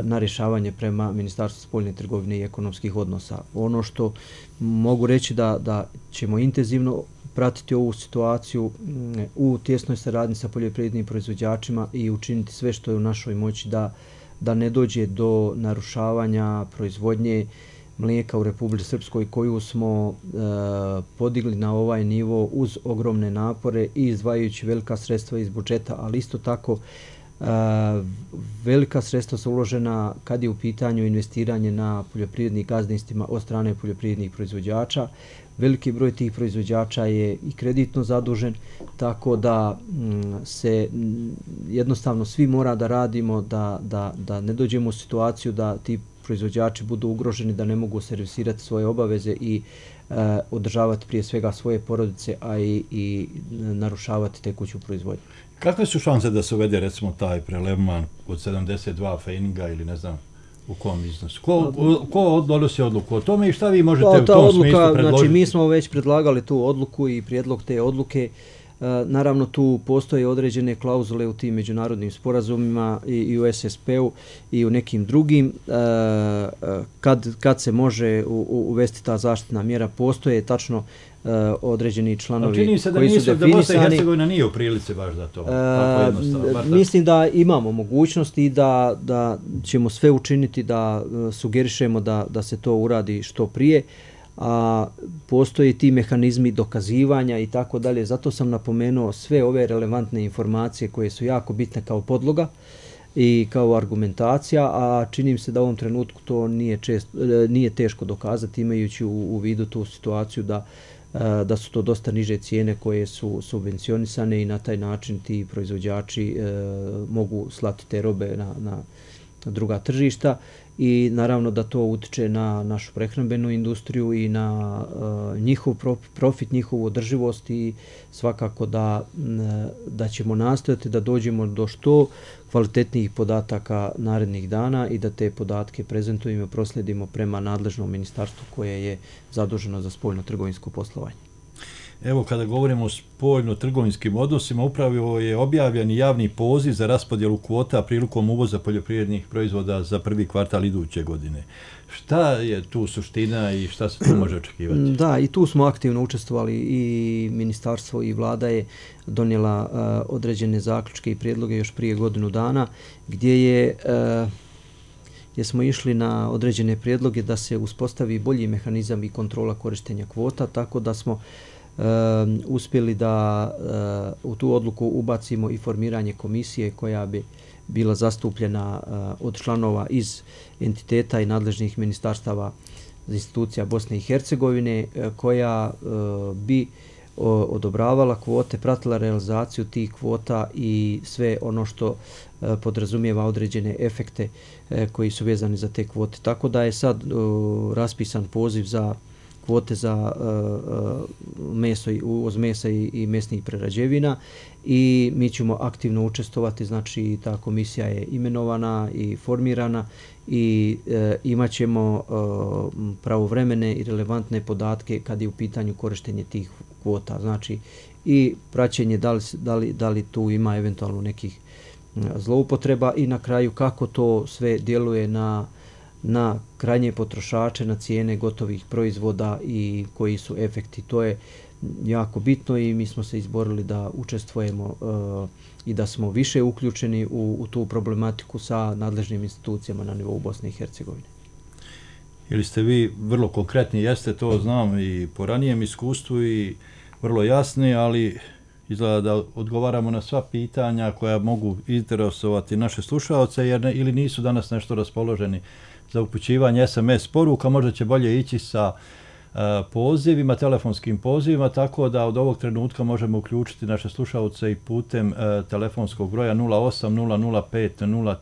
na rješavanje prema Ministarstvu spoljne trgovine i ekonomskih odnosa. Ono što mogu reći da ćemo intenzivno pratiti ovu situaciju u tjesnoj saradnji sa poljoprivrednim proizvođačima i učiniti sve što je u našoj moći da ne dođe do narušavanja proizvodnje mlijeka u Republici Srpskoj koju smo podigli na ovaj nivo uz ogromne napore i izdvajajući velika sredstva iz budžeta, ali isto tako velika sredstva su uložena kad je u pitanju investiranje na poljoprivrednim gazdinstvima od strane poljoprivrednih proizvođača. Veliki broj tih proizvođača je i kreditno zadužen, tako da se jednostavno svi mora da radimo, da ne dođemo u situaciju da ti proizvođači budu ugroženi, da ne mogu servisirati svoje obaveze i održavati prije svega svoje porodice, a i narušavati tekuću proizvodnju. Kakve su šanse da se uvede recimo taj prelevman od 72 fejninga ili ne znam u kom iznosu? Ko donosi odluku o tome i šta vi možete u tom smislu predložiti? Znači, mi smo već predlagali tu odluku i prijedlog te odluke. Naravno, tu postoje određene klauzule u tim međunarodnim sporazumima i u SSP-u i u nekim drugim. Kad se može uvesti ta zaštitna mjera, postoje tačno određeni članovi koji su definisani. Čini se da Bosna i Hercegovina nije u prilici baš za to. Mislim da imamo mogućnosti i da ćemo sve učiniti da sugerišemo da se to uradi što prije. A postoje ti mehanizmi dokazivanja i tako dalje. Zato sam napomenuo sve ove relevantne informacije koje su jako bitne kao podloga i kao argumentacija, a čini mi se da u ovom trenutku to nije teško dokazati imajući u vidu tu situaciju da su to dosta niže cijene koje su subvencionisane i na taj način ti proizvođači mogu slati te robe na druga tržišta i naravno da to utiče na našu prehrambenu industriju i na njihov profit, njihovu održivost i svakako da ćemo nastojati da dođemo do što kvalitetnijih podataka narednih dana i da te podatke prezentujemo i proslijedimo prema nadležnom ministarstvu koje je zaduženo za spoljno-trgovinsko poslovanje. Evo, kada govorimo o spoljno-trgovinskim odnosima, upravo je objavljen javni poziv za raspodjelu kvota prilikom uvoza poljoprivrednih proizvoda za prvi kvartal iduće godine. Šta je tu suština i šta se tu može očekivati? Da, i tu smo aktivno učestvovali i ministarstvo i vlada je donijela određene zaključke i prijedloge još prije godinu dana gdje smo išli na određene prijedloge da se uspostavi bolji mehanizam i kontrola korištenja kvota, tako da smo uspjeli da u tu odluku ubacimo i formiranje komisije koja bi bila zastupljena od članova iz entiteta i nadležnih ministarstava institucija Bosne i Hercegovine koja bi odobravala kvote, pratila realizaciju tih kvota i sve ono što podrazumijeva određene efekte koji su vezani za te kvote. Tako da je sad raspisan poziv za kvote za uvoz mesa i mesnih prerađevina i mi ćemo aktivno učestvovati, znači ta komisija je imenovana i formirana i imat ćemo pravovremene i relevantne podatke kad je u pitanju korištenje tih kvota, znači i praćenje da li tu ima eventualno nekih zloupotreba i na kraju kako to sve djeluje na krajnje potrošače, na cijene gotovih proizvoda i koji su efekti. To je jako bitno i mi smo se izborili da učestvujemo i da smo više uključeni u tu problematiku sa nadležnim institucijama na nivou Bosne i Hercegovine. Ili ste vi vrlo konkretni, jeste, to znam i po ranijem iskustvu i vrlo jasni, ali izgleda da odgovaramo na sva pitanja koja mogu interesovati naše slušaoce, jer ili nisu danas nešto raspoloženi za upućivanje SMS poruka. Možda će bolje ići sa pozivima, telefonskim pozivima, tako da od ovog trenutka možemo uključiti naše slušalce i putem telefonskog broja 08 005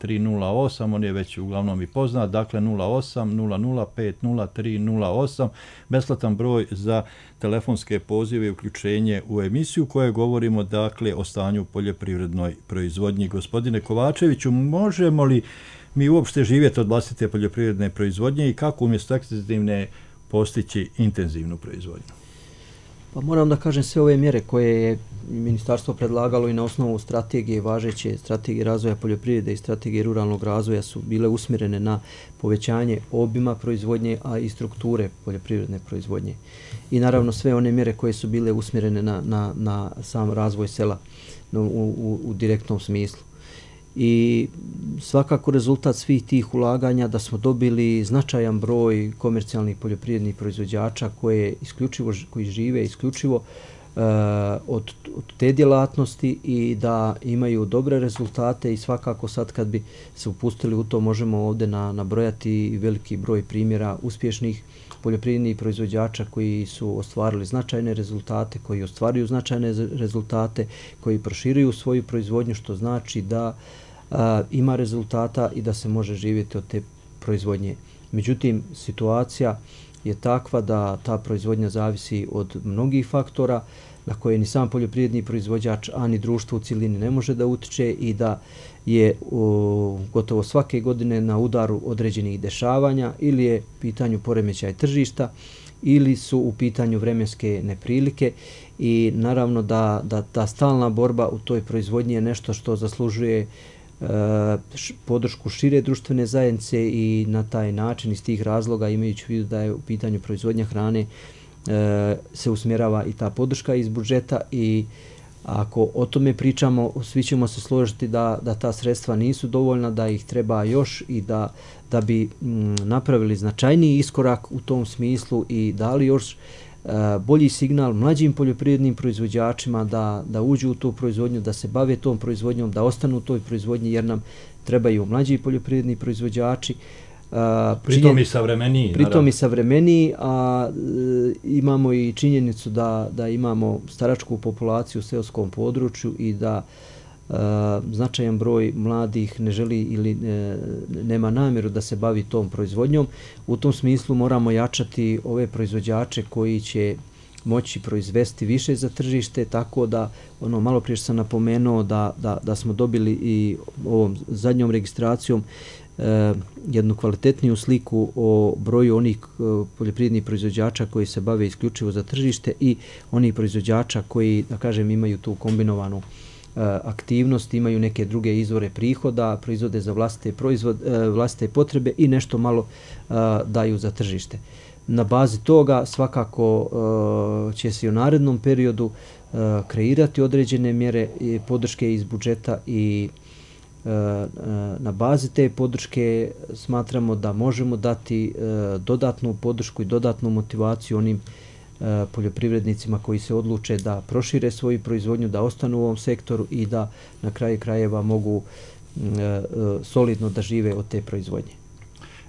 0308, on je već uglavnom i poznat, dakle 08 005 0308, besplatan broj za telefonske pozive i uključenje u emisiju koje govorimo dakle o stanju poljoprivrednoj proizvodnji. Gospodine Kovačeviću, možemo li mi uopšte živjeti od vlastite poljoprivredne proizvodnje i kako umjesto ekstenzivne postići intenzivnu proizvodnju? Pa moram da kažem, sve ove mjere koje je ministarstvo predlagalo i na osnovu strategije, važeće strategije razvoja poljoprivrede i strategije ruralnog razvoja su bile usmjerene na povećanje obima proizvodnje, a i strukture poljoprivredne proizvodnje. I naravno sve one mjere koje su bile usmjerene na sam razvoj sela u direktnom smislu. I svakako rezultat svih tih ulaganja da smo dobili značajan broj komercijalnih poljoprivrednih proizvođača koji žive isključivo od te djelatnosti i da imaju dobre rezultate i svakako sad kad bi se upustili u to možemo ovdje nabrojati veliki broj primjera uspješnih poljoprivrednih proizvođača koji su ostvarili značajne rezultate, koji ostvaruju značajne rezultate, koji proširuju svoju proizvodnju, što znači da ima rezultata i da se može živjeti od te proizvodnje. Međutim, situacija je takva da ta proizvodnja zavisi od mnogih faktora na koje ni sam poljoprivredni proizvođač, a ni društvo u cjelini ne može da utiče i da je gotovo svake godine na udaru određenih dešavanja ili je u pitanju poremećaj tržišta ili su u pitanju vremenske neprilike i naravno da ta stalna borba u toj proizvodnji je nešto što zaslužuje podršku šire društvene zajednice i na taj način iz tih razloga, imajući u vidu da je u pitanju proizvodnja hrane, se usmjerava i ta podrška iz budžeta i ako o tome pričamo, svi ćemo se složiti da ta sredstva nisu dovoljna, da ih treba još i da bi napravili značajniji iskorak u tom smislu i dali još bolji signal mlađim poljoprivrednim proizvođačima da uđu u tu proizvodnju, da se bave tom proizvodnjom, da ostanu u toj proizvodnji jer nam trebaju mlađi poljoprivredni proizvođači. Pritom i savremeniji. Pritom i savremeniji, a imamo i činjenicu da imamo staračku populaciju u seoskom području i da značajan broj mladih ne želi ili nema namjeru da se bavi tom proizvodnjom. U tom smislu moramo jačati ove proizvođače koji će moći proizvesti više za tržište, tako da malo prije sam napomenuo da smo dobili i ovom zadnjom registracijom jednu kvalitetniju sliku o broju onih poljoprivrednih proizvođača koji se bave isključivo za tržište i onih proizvođača koji, da kažem, imaju tu kombinovanu aktivnost, imaju neke druge izvore prihoda, proizvode za vlastite potrebe i nešto malo daju za tržište. Na bazi toga svakako će se u narednom periodu kreirati određene mjere podrške iz budžeta i na bazi te podrške smatramo da možemo dati dodatnu podršku i dodatnu motivaciju onim poljoprivrednicima koji se odluče da prošire svoju proizvodnju, da ostanu u ovom sektoru i da na kraju krajeva mogu solidno da žive od te proizvodnje.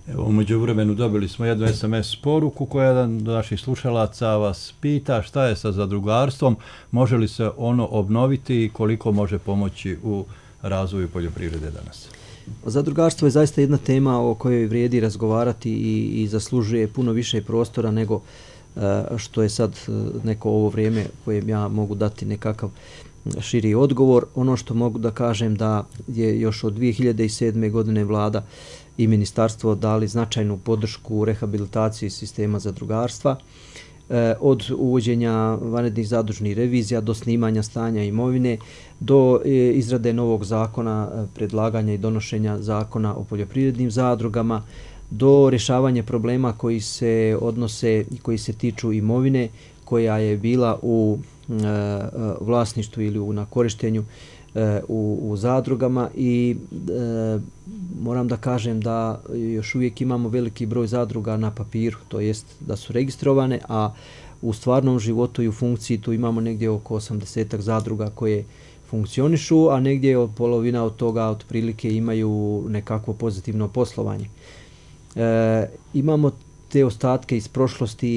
Evo, u međuvremenu dobili smo jednu SMS poruku koja jedan od naših slušalaca vas pita šta je sa zadrugarstvom, može li se ono obnoviti i koliko može pomoći u razvoju poljoprivrede danas? Zadrugarstvo je zaista jedna tema o kojoj vrijedi razgovarati i zaslužuje puno više prostora nego što je sad neko ovo vrijeme kojem ja mogu dati nekakav širi odgovor. Ono što mogu da kažem da je još od 2007. godine vlada i ministarstvo dali značajnu podršku u rehabilitaciji sistema zadrugarstva. Od uvođenja vanrednih zadužnih revizija do snimanja stanja imovine, do izrade novog zakona, predlaganja i donošenja zakona o poljoprivrednim zadrugama, do rješavanja problema koji se odnose i koji se tiču imovine koja je bila u vlasništvu ili na korištenju u zadrugama i moram da kažem da još uvijek imamo veliki broj zadruga na papiru, to jest da su registrovane, a u stvarnom životu i u funkciji tu imamo negdje oko 80 zadruga koje funkcionišu, a negdje polovina od toga otprilike imaju nekakvo pozitivno poslovanje. Imamo te ostatke iz prošlosti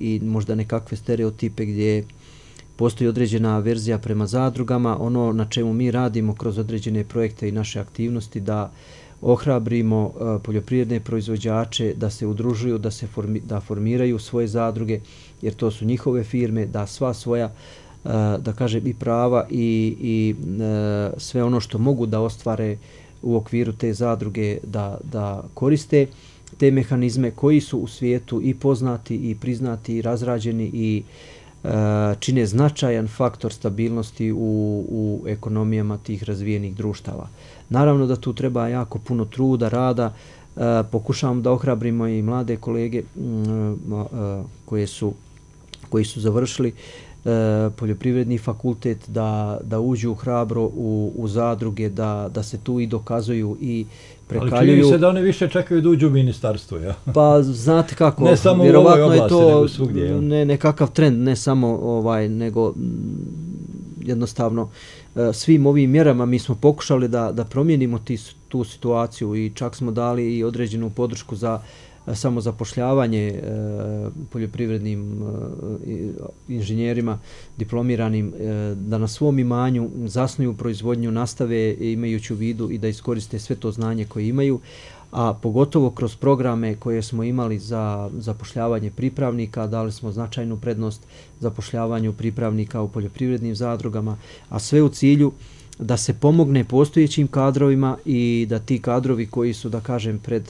i možda nekakve stereotipe gdje postoji određena verzija prema zadrugama. Ono na čemu mi radimo kroz određene projekte i naše aktivnosti da ohrabrimo poljoprivredne proizvođače da se udružuju, da formiraju svoje zadruge, jer to su njihove firme, da sva svoja da kažem i prava i sve ono što mogu da ostvare u okviru te zadruge da koriste te mehanizme koji su u svijetu i poznati i priznati i razrađeni i čine značajan faktor stabilnosti u ekonomijama tih razvijenih društava. Naravno da tu treba jako puno truda, rada. Pokušavamo da ohrabrimo i mlade kolege koji su završili poljoprivredni fakultet da uđu hrabro u zadruge, da se tu i dokazuju i prekaljuju. Ali čini se da oni više čekaju da uđu u ministarstvo, ja? Pa znate kako, ne samo vjerovatno u ovoj oblasti, je to nego svugdje, nekakav trend, ne samo nego jednostavno svim ovim mjerama mi smo pokušali da promijenimo tu situaciju i čak smo dali i određenu podršku za samozapošljavanje poljoprivrednim inženjerima diplomiranim da na svom imanju zasnuju proizvodnju, nastave imajući u vidu i da iskoriste sve to znanje koje imaju, a pogotovo kroz programe koje smo imali za zapošljavanje pripravnika, dali smo značajnu prednost zapošljavanju pripravnika u poljoprivrednim zadrugama, a sve u cilju da se pomogne postojećim kadrovima i da ti kadrovi koji su, da kažem, pred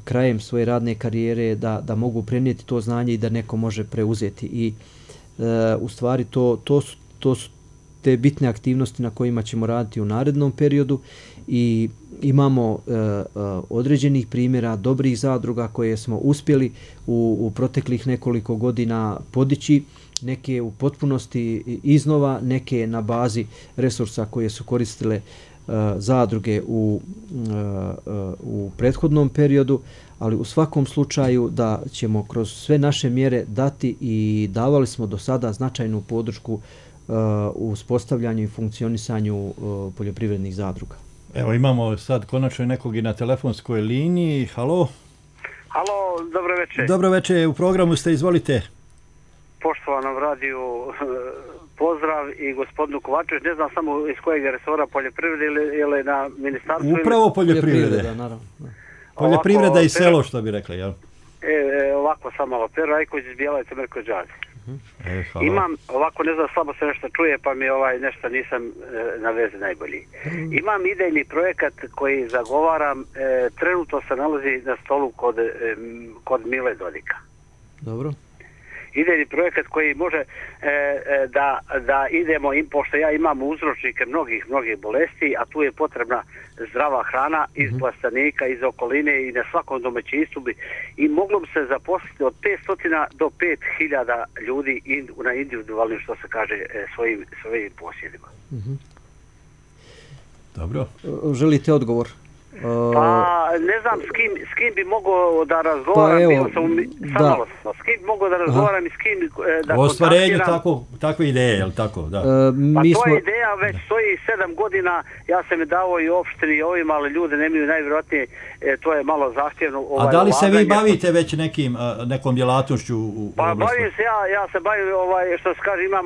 krajem svoje radne karijere da mogu prenijeti to znanje i da neko može preuzeti. I u stvari to su te bitne aktivnosti na kojima ćemo raditi u narednom periodu i imamo određenih primjera dobrih zadruga koje smo uspjeli u proteklih nekoliko godina podići, neke u potpunosti iznova, neke na bazi resursa koje su koristile zadruge u prethodnom periodu, ali u svakom slučaju da ćemo kroz sve naše mjere dati i davali smo do sada značajnu podršku u uspostavljanju i funkcionisanju poljoprivrednih zadruga. Evo imamo sad konačno nekog i na telefonskoj liniji. Halo? Halo, dobro večer. Dobro večer, u programu ste, izvolite. Poštovanom radiju pozdrav i gospodinu Kovačević, ne znam samo iz kojeg resora poljoprivrede ili na ministarstvu. Upravo poljoprivrede. Naravno. Poljoprivreda i selo, što bi rekli, jel? Ovako sam malo. Pero Ajković iz Bijelavice, Mirko Đazi. Imam, ovako ne znam, slabo se nešto čuje, pa mi nešto nisam na vezi najbolji. Imam idejni projekat koji zagovaram, trenutno se nalazi na stolu kod Mile Dodika. Dobro. Idejni projekat koji može da idemo, pošto ja imam uzročnike mnogih bolesti, a tu je potrebna zdrava hrana iz plastenika, iz okoline i na svakom domaćinstvu i moglo bi se zaposliti od 500 do 5000 ljudi na individualnim, što se kaže, svojim posjedima. Dobro. Želite odgovor? Pa ne znam s kim bi mogao da razgovaram, s kim bi mogao da razgovaram i s kim da o ostvarenju takve ideje, je li tako? Da. Pa to je ideja, već stoji 7 godina, ja sam je dao i opštini i ovim, ali ljudi nemaju najvjerojatnije, to je malo zahtjevno. A da li se vi bavite već nekom djelatošću u pa oblasti? Bavim se, ja se bavim, što se kaže, imam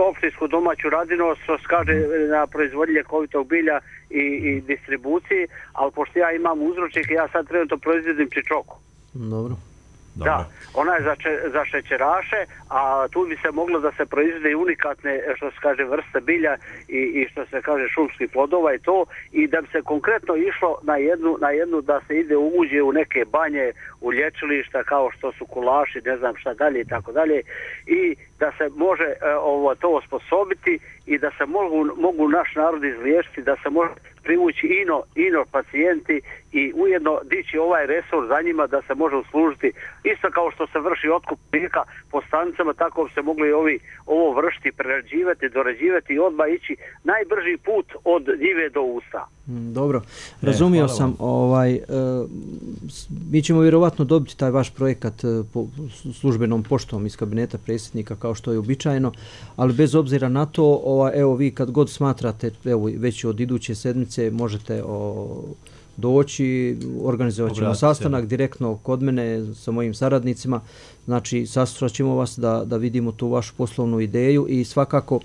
opštinsku domaću radinost, što se kaže, na proizvodnji ljekovitog bilja i distribuciji, ali pošto ja imam uzročnike, ja sad trenutno proizvodim čičoku. Dobro. Da, ona je za šećeraše, a tu bi se moglo da se proizvode i unikatne, što se kaže, vrste bilja i što se kaže šumskih plodova i to, i da bi se konkretno išlo na jednu da se ide uđe u neke banje, u lječilišta kao što su Kulaši, ne znam šta dalje i tako dalje, i da se može to osposobiti i da se mogu naš narod izliječiti, da se može privući ino pacijenti i ujedno dići ovaj resurs za njima da se može uslužiti. Isto kao što se vrši otkup mlijeka po stanicama, tako se mogli ovo vršiti, prerađivati, dorađivati i odmah ići najbrži put od njive do usta. Dobro, razumio sam. Mi ćemo vjerovatno dobiti taj vaš projekat službenom poštom iz kabineta predsjednika kao što je uobičajeno, ali bez obzira na to, evo vi kad god smatrate, evo već od iduće sedmice možete doći, organizovat ćemo sastanak direktno kod mene sa mojim saradnicima, znači saslušat ćemo vas da vidimo tu vašu poslovnu ideju i svakako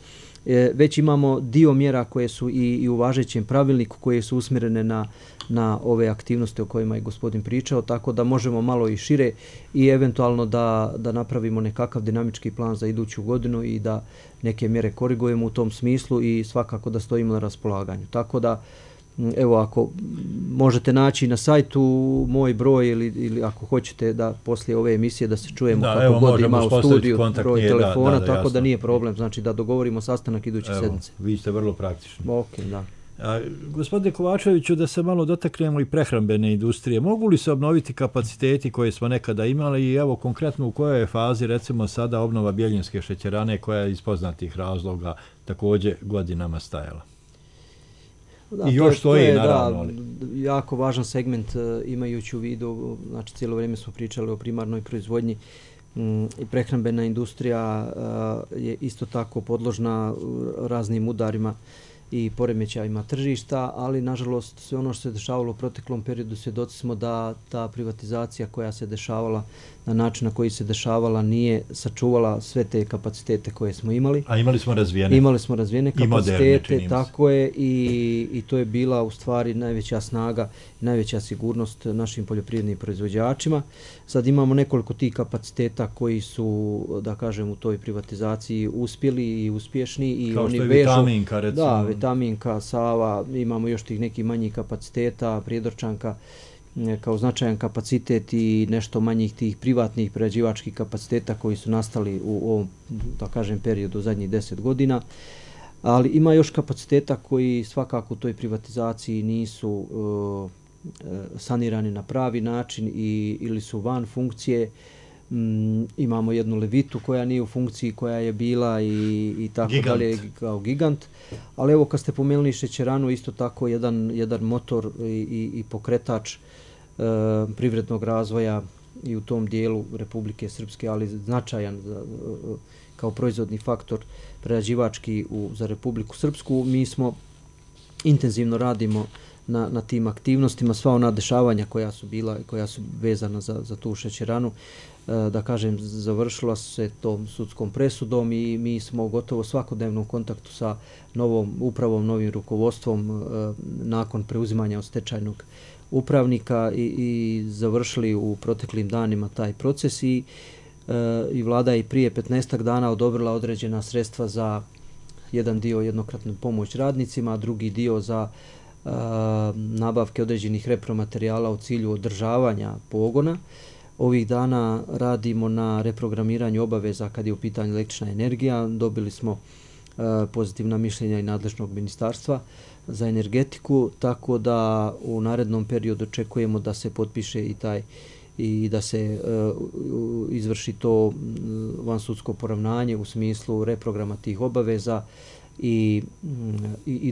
već imamo dio mjera koje su i u važećem pravilniku koje su usmjerene na ove aktivnosti o kojima je gospodin pričao, tako da možemo malo i šire i eventualno da napravimo nekakav dinamički plan za iduću godinu i da neke mjere korigujemo u tom smislu i svakako da stojimo na raspolaganju. Tako da, evo, ako možete naći na sajtu moj broj ili ako hoćete da poslije ove emisije da se čujemo kako god ima u studiju, broj telefona, tako da nije problem, znači da dogovorimo sastanak iduće sedmice. Vi ste vrlo praktični. Ok, da. Gospodine Kovačeviću, da se malo dotaknemo i prehrambene industrije. Mogu li se obnoviti kapaciteti koje smo nekada imali i evo konkretno u kojoj je fazi recimo sada obnova Bjeljinske šećerane koja je iz poznatih razloga također godinama stajala? Da, i još stoji, naravno. Jako važan segment imajući u vidu, znači cijelo vrijeme smo pričali o primarnoj proizvodnji i prehrambena industrija je isto tako podložna raznim udarima i poremećajima tržišta, ali nažalost sve ono što se dešavalo u proteklom periodu svjedoci smo da ta privatizacija koja se dešavala na način na koji se dešavala nije sačuvala sve te kapacitete koje smo imali. A imali smo razvijene. Imali smo razvijene kapacitete, tako je, i to je bila u stvari najveća snaga, najveća sigurnost našim poljoprivrednim proizvođačima. Sad imamo nekoliko tih kapaciteta koji su, da kažem, u toj privatizaciji uspjeli i uspješni. I kao oni što je vežu, Vitaminka, recimo. Da, Vitaminka, Sava, imamo još tih nekih manjih kapaciteta, Prijedorčanka kao značajan kapacitet i nešto manjih tih privatnih prerađivačkih kapaciteta koji su nastali u ovom, da kažem, periodu zadnjih 10 godina. Ali ima još kapaciteta koji svakako u toj privatizaciji nisu sanirani na pravi način ili su van funkcije. Imamo jednu Levitu koja nije u funkciji, koja je bila i tako dalje kao gigant. Ali evo, kad ste pomenuli šećeranu, isto tako jedan motor i pokretač privrednog razvoja i u tom dijelu Republike Srpske, ali značajan kao proizvodni faktor prerađivački za Republiku Srpsku. Mi smo intenzivno radimo na tim aktivnostima, sva ona dešavanja koja su bila, koja su vezana za tu šećeranu, da kažem, završila se tom sudskom presudom i mi smo gotovo svakodnevno u kontaktu sa novom upravom, novim rukovodstvom nakon preuzimanja od stečajnog upravnika i završili u proteklim danima taj proces i vlada je prije 15 dana odobrila određena sredstva za jedan dio jednokratnu pomoć radnicima, a drugi dio za nabavke određenih repromaterijala u cilju održavanja pogona. Ovih dana radimo na reprogramiranju obaveza kad je u pitanju električna energija. Dobili smo pozitivna mišljenja i nadležnog ministarstva za energetiku, tako da u narednom periodu očekujemo da se potpiše i da se izvrši to vansudsko poravnanje u smislu reprograma tih obaveza i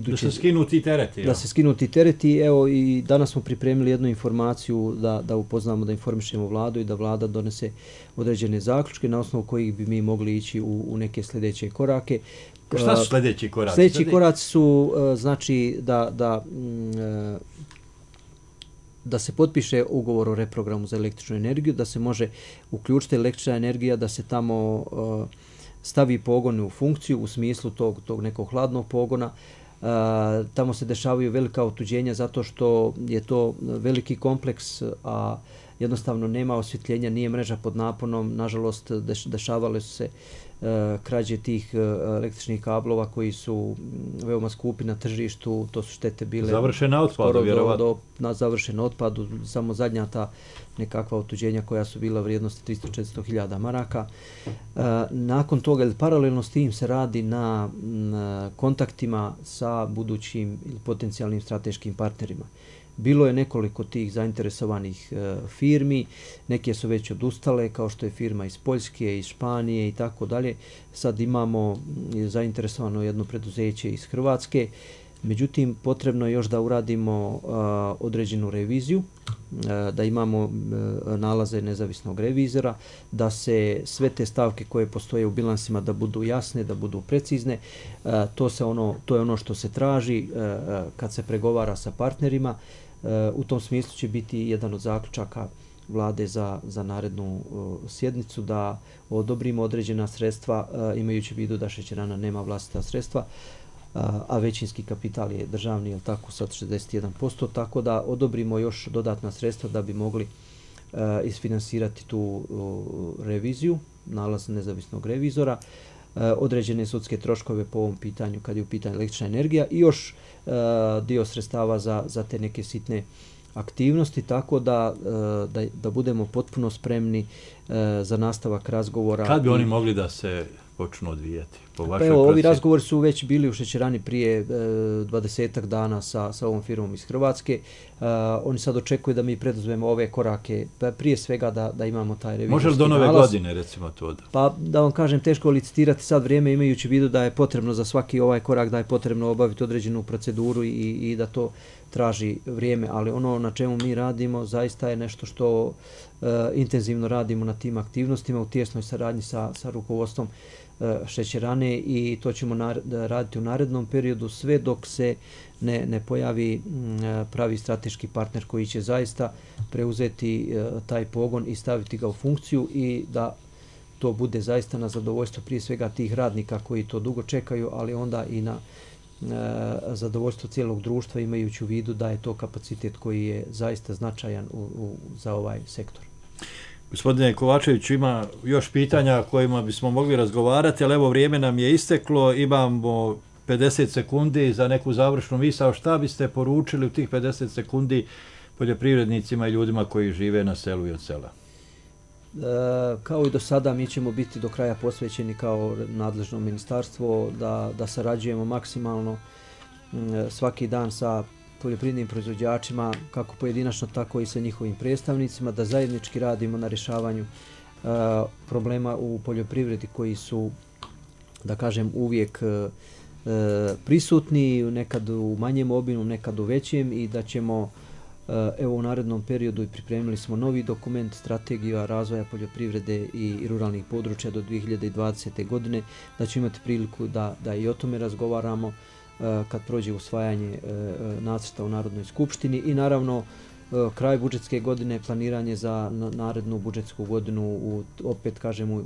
da se skinu ti tereti. Da se skinu ti tereti. Evo, i danas smo pripremili jednu informaciju da upoznamo, da informišemo vladu i da vlada donese određene zaključke na osnovu kojih bi mi mogli ići u neke sljedeće korake. Šta su sljedeći koraci? Sljedeći koraci su znači da se potpiše ugovor o reprogramu za električnu energiju, da se može uključiti električna energija, da se tamo stavi pogon u funkciju u smislu tog nekog hladnog pogona. Tamo se dešavaju velika otuđenja zato što je to veliki kompleks, a jednostavno nema osvjetljenja, nije mreža pod naponom. Nažalost, dešavale su se krađe tih električnih kablova koji su veoma skupi na tržištu, to su štete bile završen na otpadu, vjerovatno. Na završen otpadu, samo zadnja ta nekakva otuđenja koja su bila vrijednosti 300-400 hiljada maraka. Nakon toga, ili paralelno s tim, se radi na kontaktima sa budućim ili potencijalnim strateškim partnerima. Bilo je nekoliko tih zainteresovanih firmi, neke su već odustale, kao što je firma iz Poljske, iz Španije i tako dalje. Sad imamo zainteresovano jedno preduzeće iz Hrvatske. Međutim, potrebno je još da uradimo određenu reviziju, da imamo nalaze nezavisnog revizora, da se sve te stavke koje postoje u bilansima da budu jasne, da budu precizne. To je ono što se traži kad se pregovara sa partnerima. U tom smislu će biti jedan od zaključaka vlade za narednu sjednicu da odobrimo određena sredstva, imajući u vidu da šećerana nema vlastita sredstva, a većinski kapital je državni, je tako, sad 61%, tako da odobrimo još dodatna sredstva da bi mogli isfinansirati tu reviziju, nalaz nezavisnog revizora, određene sudske troškove po ovom pitanju kad je u pitanju električna energija i još dio sredstava za te neke sitne aktivnosti, tako da budemo potpuno spremni za nastavak razgovora. Kad bi oni mogli da se počnu odvijati? Ovi razgovori su već bili u šećerani prije 20-ak dana sa ovom firmom iz Hrvatske. Oni sad očekuju da mi preduzmemo ove korake, prije svega da imamo taj revizorski nalaz. Može li do nove godine, recimo, to da? Pa da vam kažem, teško licitirati sad vrijeme, imajući u vidu da je potrebno za svaki ovaj korak, da je potrebno obaviti određenu proceduru i da to traži vrijeme, ali ono na čemu mi radimo zaista je nešto što intenzivno radimo na tim aktivnostima u tijesnoj saradnji sa rukovodstvom šećerane i to ćemo raditi u narednom periodu sve dok se ne pojavi pravi strateški partner koji će zaista preuzeti taj pogon i staviti ga u funkciju i da to bude zaista na zadovoljstvo prije svega tih radnika koji to dugo čekaju, ali onda i na zadovoljstvo cijelog društva, imajući u vidu da je to kapacitet koji je zaista značajan za ovaj sektor. Gospodine Kovačević, ima još pitanja kojima bismo mogli razgovarati, ali evo vrijeme nam je isteklo, imamo 50 sekundi za neku završnu misao. Šta biste poručili u tih 50 sekundi poljoprivrednicima i ljudima koji žive na selu i od sela? Kao i do sada, mi ćemo biti do kraja posvećeni kao nadležno ministarstvo da sarađujemo maksimalno svaki dan sa poljoprivrednim proizvođačima, kako pojedinačno, tako i sa njihovim predstavnicima, da zajednički radimo na rješavanju problema u poljoprivredi koji su, da kažem, uvijek prisutni, nekad u manjem obimu, nekad u većem i da ćemo evo u narednom periodu i pripremili smo novi dokument strategija razvoja poljoprivrede i ruralnih područja do 2020. godine, da ćemo imati priliku da i o tome razgovaramo kad prođe usvajanje nacrta u Narodnoj skupštini i naravno kraj budžetske godine, planiranje za narednu budžetsku godinu, opet kažemo